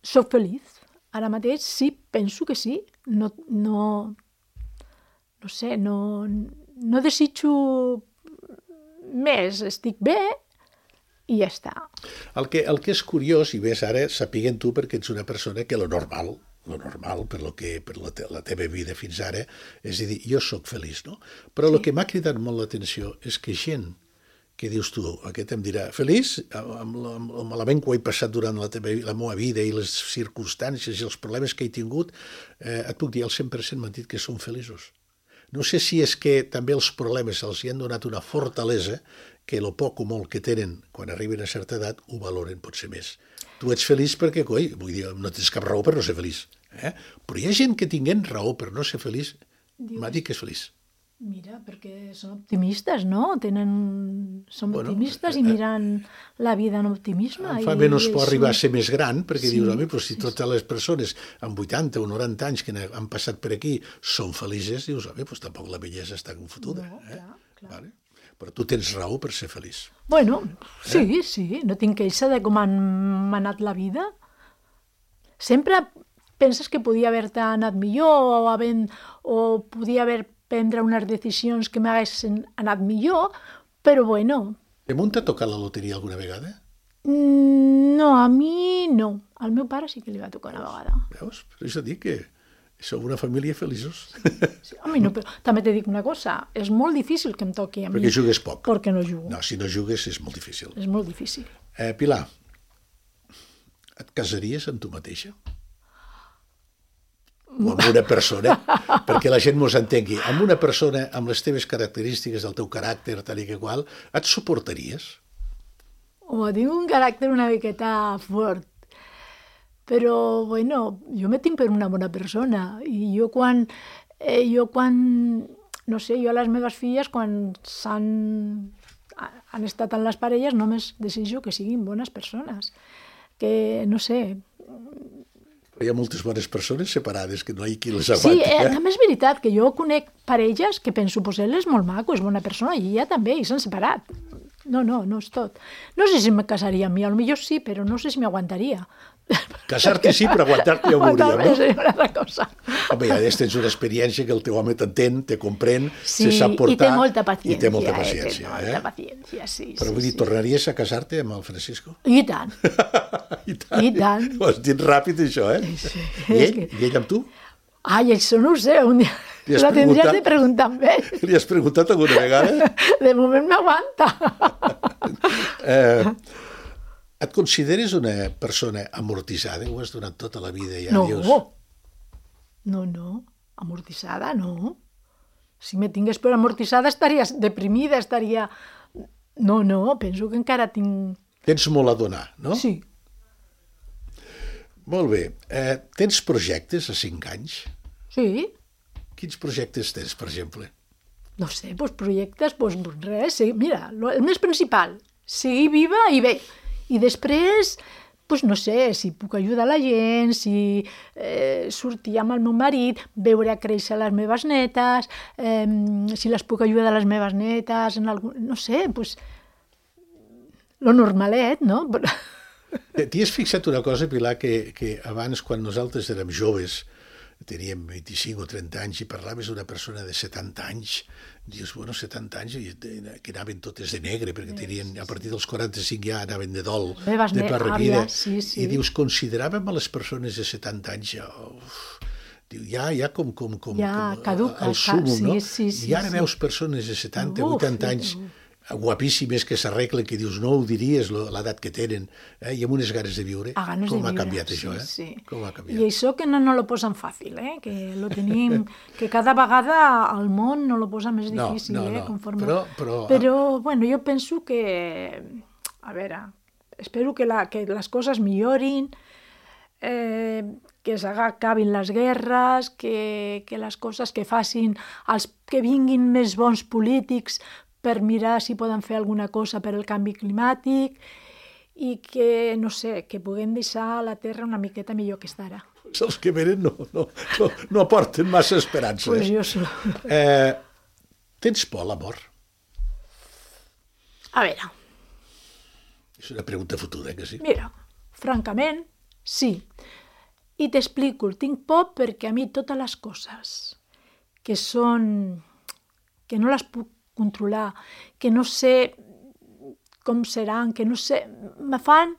soc feliç. Ara mateix sí, penso que sí. No, no, no sé, no, no desitjo més, estic bé i ja està. El que, el que és curiós, i ves ara, sapiguent tu perquè ets una persona que lo normal, lo normal per, lo que, per la, te, la teva vida fins ara, és a dir, jo sóc feliç, no? Però sí. El que m'ha cridat molt l'atenció és que gent que dius tu, aquest em dirà, feliç, amb, amb el malament que ho he passat durant la, teva, la meva vida i les circumstàncies i els problemes que he tingut, eh, et puc dir, al cent per cent m'han dit que són feliços. No sé si és que també els problemes els hi han donat una fortalesa que el poc o molt que tenen quan arriben a certa edat ho valoren potser més. Tu ets feliç perquè, coi, vull dir, no tens cap raó per no ser feliç. Eh? Però hi ha gent que tinguent raó per no ser feliç, m'ha dit que és feliç. Mira, perquè són optimistes, no? Tenen... Són bueno, optimistes i miren la vida amb optimisme. Em fa i, menys i por això... arribar a ser més gran, perquè sí, dius, home, però si sí, totes les persones amb vuitanta o noranta anys que han passat per aquí són felices, dius, home, doncs tampoc la bellesa està confotuda. No, eh? clar, clar. Vale? Però tu tens raó per ser feliç. Bueno, sí, eh? sí, no tinc queixa de com han anat la vida. Sempre penses que podia haver-te anat millor o, havent, o podia haver prendre unes decisions que m'haguessin anat millor, però bueno. De munt t'ha tocat la loteria alguna vegada? No, a mi no. Al meu pare sí que li va tocar una vegada. Veus? Per això dic que sou una família feliços. Sí, a mi no, però també te dic una cosa, és molt difícil que em toqui a mi. Perquè jugues poc. Perquè no jugo. No, si no jugues és molt difícil. És molt difícil. Eh, Pilar, et casaries amb tu mateixa? O amb una persona? Perquè la gent mos entengui. Amb una persona, amb les teves característiques, del teu caràcter, tal i que qual, et suportaries? O tinc un caràcter una miqueta fort, però, bueno, jo me tinc per una bona persona. I jo quan, eh, jo quan, no sé, jo a les meves filles, quan s'han han estat en les parelles, només desitjo que siguin bones persones. Que, no sé... Hi ha moltes bones persones separades, que no hi ha qui les Sí, aguanti. eh, Eh? també és veritat que jo conec parelles que penso, pues ell és molt maco, és bona persona, i ella també, i s'han separat. No, no, no és tot. No sé si me casaria amb mi, potser sí, però no sé si m'aguantaria. Casar-te sí, però aguantar-te ja ho veuríem, Aguantar-me no? és una altra cosa. Home, ja tens una experiència que el teu home t'entén, te comprèn, Sí, se sap portar... i té molta paciència. I té molta eh, paciència, té molta eh? paciència, sí. Però sí, vull dir, sí. tornaries a casar-te amb el Francisco? I tant. I tant. I tant. Ho has dit ràpid, això, eh? Sí, I és ell? que- I ell amb tu? Ai, això no ho sé, un dia... Li has La tindries preguntat? de preguntar amb ell. Li has preguntat alguna vegada? De moment m'aguanta. Eh, et consideres una persona amortitzada? Ho has donat tota la vida i ja No, dius... no, no, amortitzada, no. Si me tingués per amortitzada estaria deprimida, estaria... No, no, penso que encara tinc... Tens molt a donar, no? Sí, Molt bé. Eh, tens projectes a cinc anys? sí, Quins projectes tens, per exemple? no sé, doncs projectes, doncs res, sí, mira, lo- el més principal, seguir viva i bé. I després, doncs no sé, si puc ajudar la gent, si eh, sortir amb el meu marit, veure a créixer les meves netes, eh, si les puc ajudar a les meves netes, en algun, no sé, doncs lo normalet, no? T'hi has fixat una cosa, Pilar, que, que abans, quan nosaltres érem joves, teníem vint-i-cinc o trenta anys i parlaves d'una persona de setanta anys, dius, bueno, setanta anys, i que anaven totes de negre, perquè tenien, a partir dels quaranta-cinc ja anaven de dol, Meves de ne- per vida. àvies, sí, sí. I dius, consideràvem a les persones de setanta anys ja, uf, diu, ja, ja com, com, com, Ja com caduca, el súmum, sí, no? sí, sí, I ara sí. veus persones de setanta, Uf, vuitanta anys, guapíssimes, que s'arreglen, que dius, no ho diries, lo- l'edat que tenen, eh? I amb unes ganes de viure. A ganes Com de ha viure, canviat sí, això, eh? sí. Com ha canviat. I això que no, no lo posen fàcil, eh? Que lo tenim, que cada vegada el món no lo posa més No, difícil, no, eh? no. Conforme... Però- però- però, bueno, jo penso que, a veure, espero que, la, que les coses millorin, eh, que s'acabin les guerres, que, que les coses que facin, els que vinguin més bons polítics per mirar si poden fer alguna cosa per al canvi climàtic i que, no sé, que puguem deixar la Terra una miqueta millor que està ara. Els que venen no, no, no, no aporten massa esperança. Pues eh? jo solo. Eh, tens por a la mort? A veure, És una pregunta fotuda, que sí? mira, francament, sí. I t'explico, tinc por perquè a mi totes les coses que són... que no les puc controlar, que no sé com seran, que no sé... me fan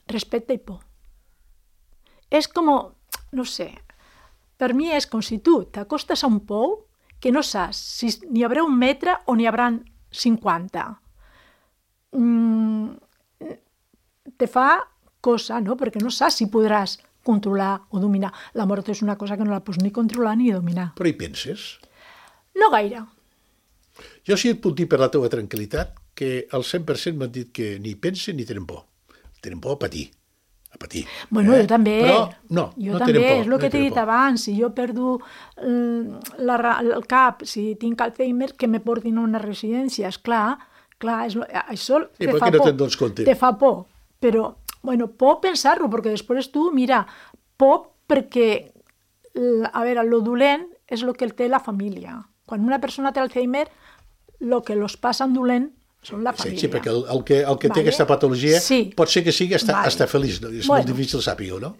respecte i por. És com, no sé, per mi és com si tu t'acostes a un pou que no saps si n'hi haurà un metre o n'hi haurà cinquanta. Mm, te fa cosa, no? Perquè no saps si podràs controlar o dominar. La mort és una cosa que no la pots ni controlar ni dominar. Però hi penses? No gaire. Jo sí et puc dir per la teva tranquil·litat que el cent per cent m'han dit que ni pensen ni tenen por. Tenen por a patir. A patir. Bueno, eh? jo també. Però no, jo no també, tenen por. és el no que t'he tenen dit por. abans. Si jo perdo eh, la, ra- el cap, si tinc Alzheimer, que me portin a una residència. És clar, clar, és, lo- això I te per fa què no por. te'n dones compte? Te fa por. Però, bueno, por pensar-lo, perquè després tu, mira, por perquè, l- a veure, lo dolent és el que té la família. Quan una persona té Alzheimer, el que los passen dolent són la Sí, família. sí, perquè el, el que, el que té Vale? aquesta patologia Sí. pot ser que sigui estar, Vale. estar feliç. No? És Bueno. molt difícil saber-ho, no?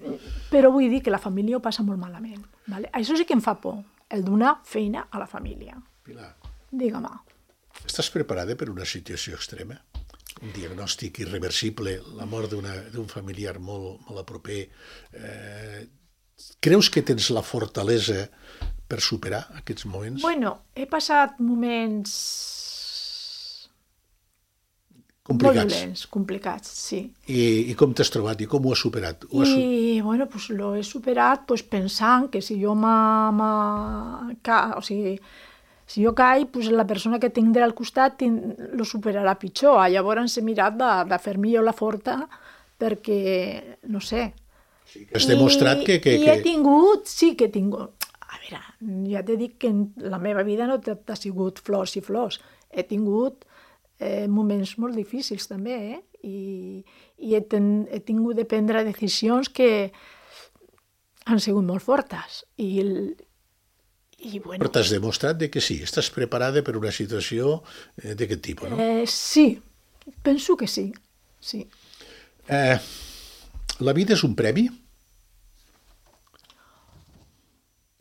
Però vull dir que la família ho passa molt malament. Vale? Això sí que em fa por, el donar feina a la família. Pilar, Digue-me. estàs preparada per una situació extrema? un diagnòstic irreversible, la mort d'un familiar molt, molt a proper. Eh, creus que tens la fortalesa per superar aquests moments? Bueno, he passat moments complicats. Molt dolents, complicats, sí. I, i com t'has trobat i com ho has superat? Ho has... I, bueno, pues lo he superat pues, pensant que si jo m'ha... O sigui, si jo caig, pues, la persona que tinc al costat tin... lo superarà pitjor. Llavors he mirat de, de fer millor la forta perquè, no sé... Sí, que has demostrat I, que, que... I he tingut, sí que he tingut... A veure, ja t'he dit que la meva vida no ha sigut flors i flors. He tingut eh, moments molt difícils també, eh? I, i he, ten, he tingut de prendre decisions que han sigut molt fortes. I, el, i bueno... Però t'has demostrat de que sí, estàs preparada per una situació eh, d'aquest tipus, no? Eh, sí, penso que sí, sí. Eh, la vida és un premi?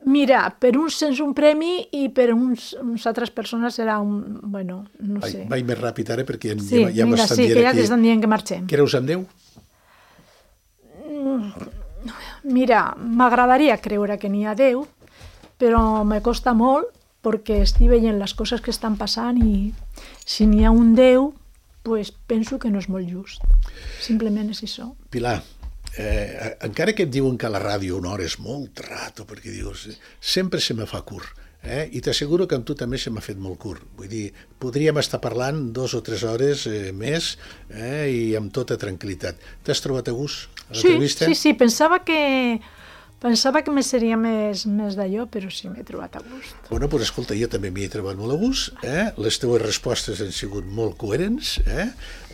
Mira, per uns és un premi i per uns, uns altres persones serà un... Bueno, no Vai, sé. vaig més ràpid ara perquè Sí, ja, ja vinga, m'estan sí, dient que ja aquí. t'estan dient que marxem. Creus en Déu? Mira, m'agradaria creure que n'hi ha Déu, però me costa molt perquè estic veient les coses que estan passant i si n'hi ha un Déu, pues penso que no és molt just. Simplement és això. Pilar, eh, encara que et diuen que a la ràdio una hora és molt rato, perquè dius, sempre se me fa curt, eh? I t'asseguro que amb tu també se m'ha fet molt curt. Vull dir, podríem estar parlant dos o tres hores eh, més eh, i amb tota tranquil·litat. T'has trobat a gust a Sí, l'entrevista? sí, sí, pensava que... Pensava que me seria més, més d'allò, però sí m'he trobat a gust. Bueno, doncs escolta, jo també m'hi he trobat molt a gust, eh? Les teves respostes han sigut molt coherents, eh?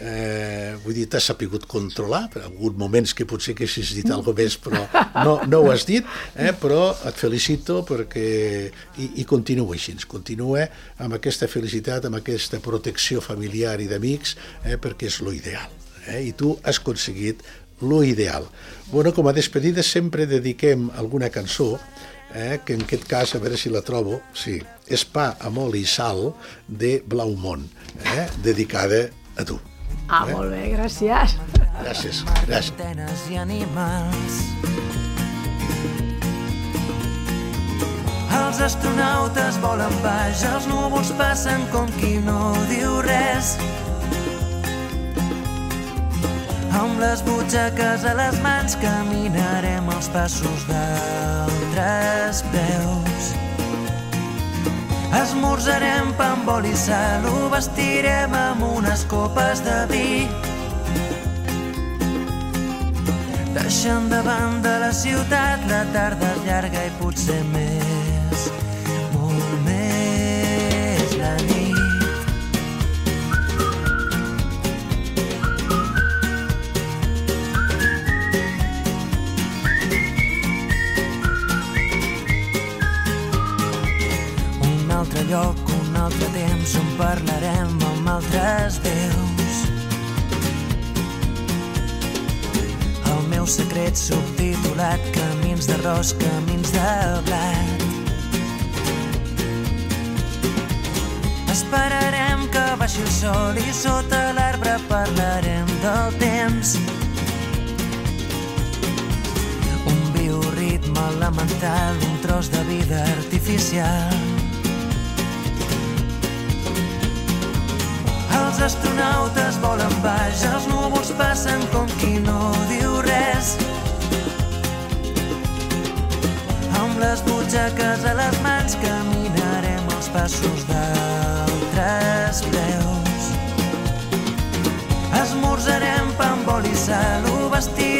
Eh, vull dir, t'has sapigut controlar, per alguns moments que potser que haguessis dit alguna cosa més, però no, no ho has dit, eh? Però et felicito perquè... I, i continua així, continua amb aquesta felicitat, amb aquesta protecció familiar i d'amics, eh? Perquè és lo ideal, eh? I tu has aconseguit lo ideal. Bueno, com a despedida sempre dediquem alguna cançó, eh, que en aquest cas, a veure si la trobo, sí, és Pa amb oli i sal de Blaumont, eh, dedicada a tu. Ah, eh? molt bé, gràcies. Gràcies, gràcies. I animals. Els astronautes volen baix, els núvols passen com qui no diu res. Amb les butxaques a les mans caminarem els passos d'altres peus. Esmorzarem pa amb oli i sal, ho vestirem amb unes copes de vi. Deixant de banda la ciutat, la tarda és llarga i potser més, molt més la nit. Lloc, un altre temps on parlarem amb altres veus. El meu secret subtitulat, camins d'arròs, camins de blat. Esperarem que baixi el sol i sota l'arbre parlarem del temps. Un bioritme elemental, un tros de vida artificial. Els astronautes volen baix, els núvols passen com qui no diu res. Amb les butxaques a les mans caminarem els passos d'altres peus. Esmorzarem pa amb oli i sal, ho vestirem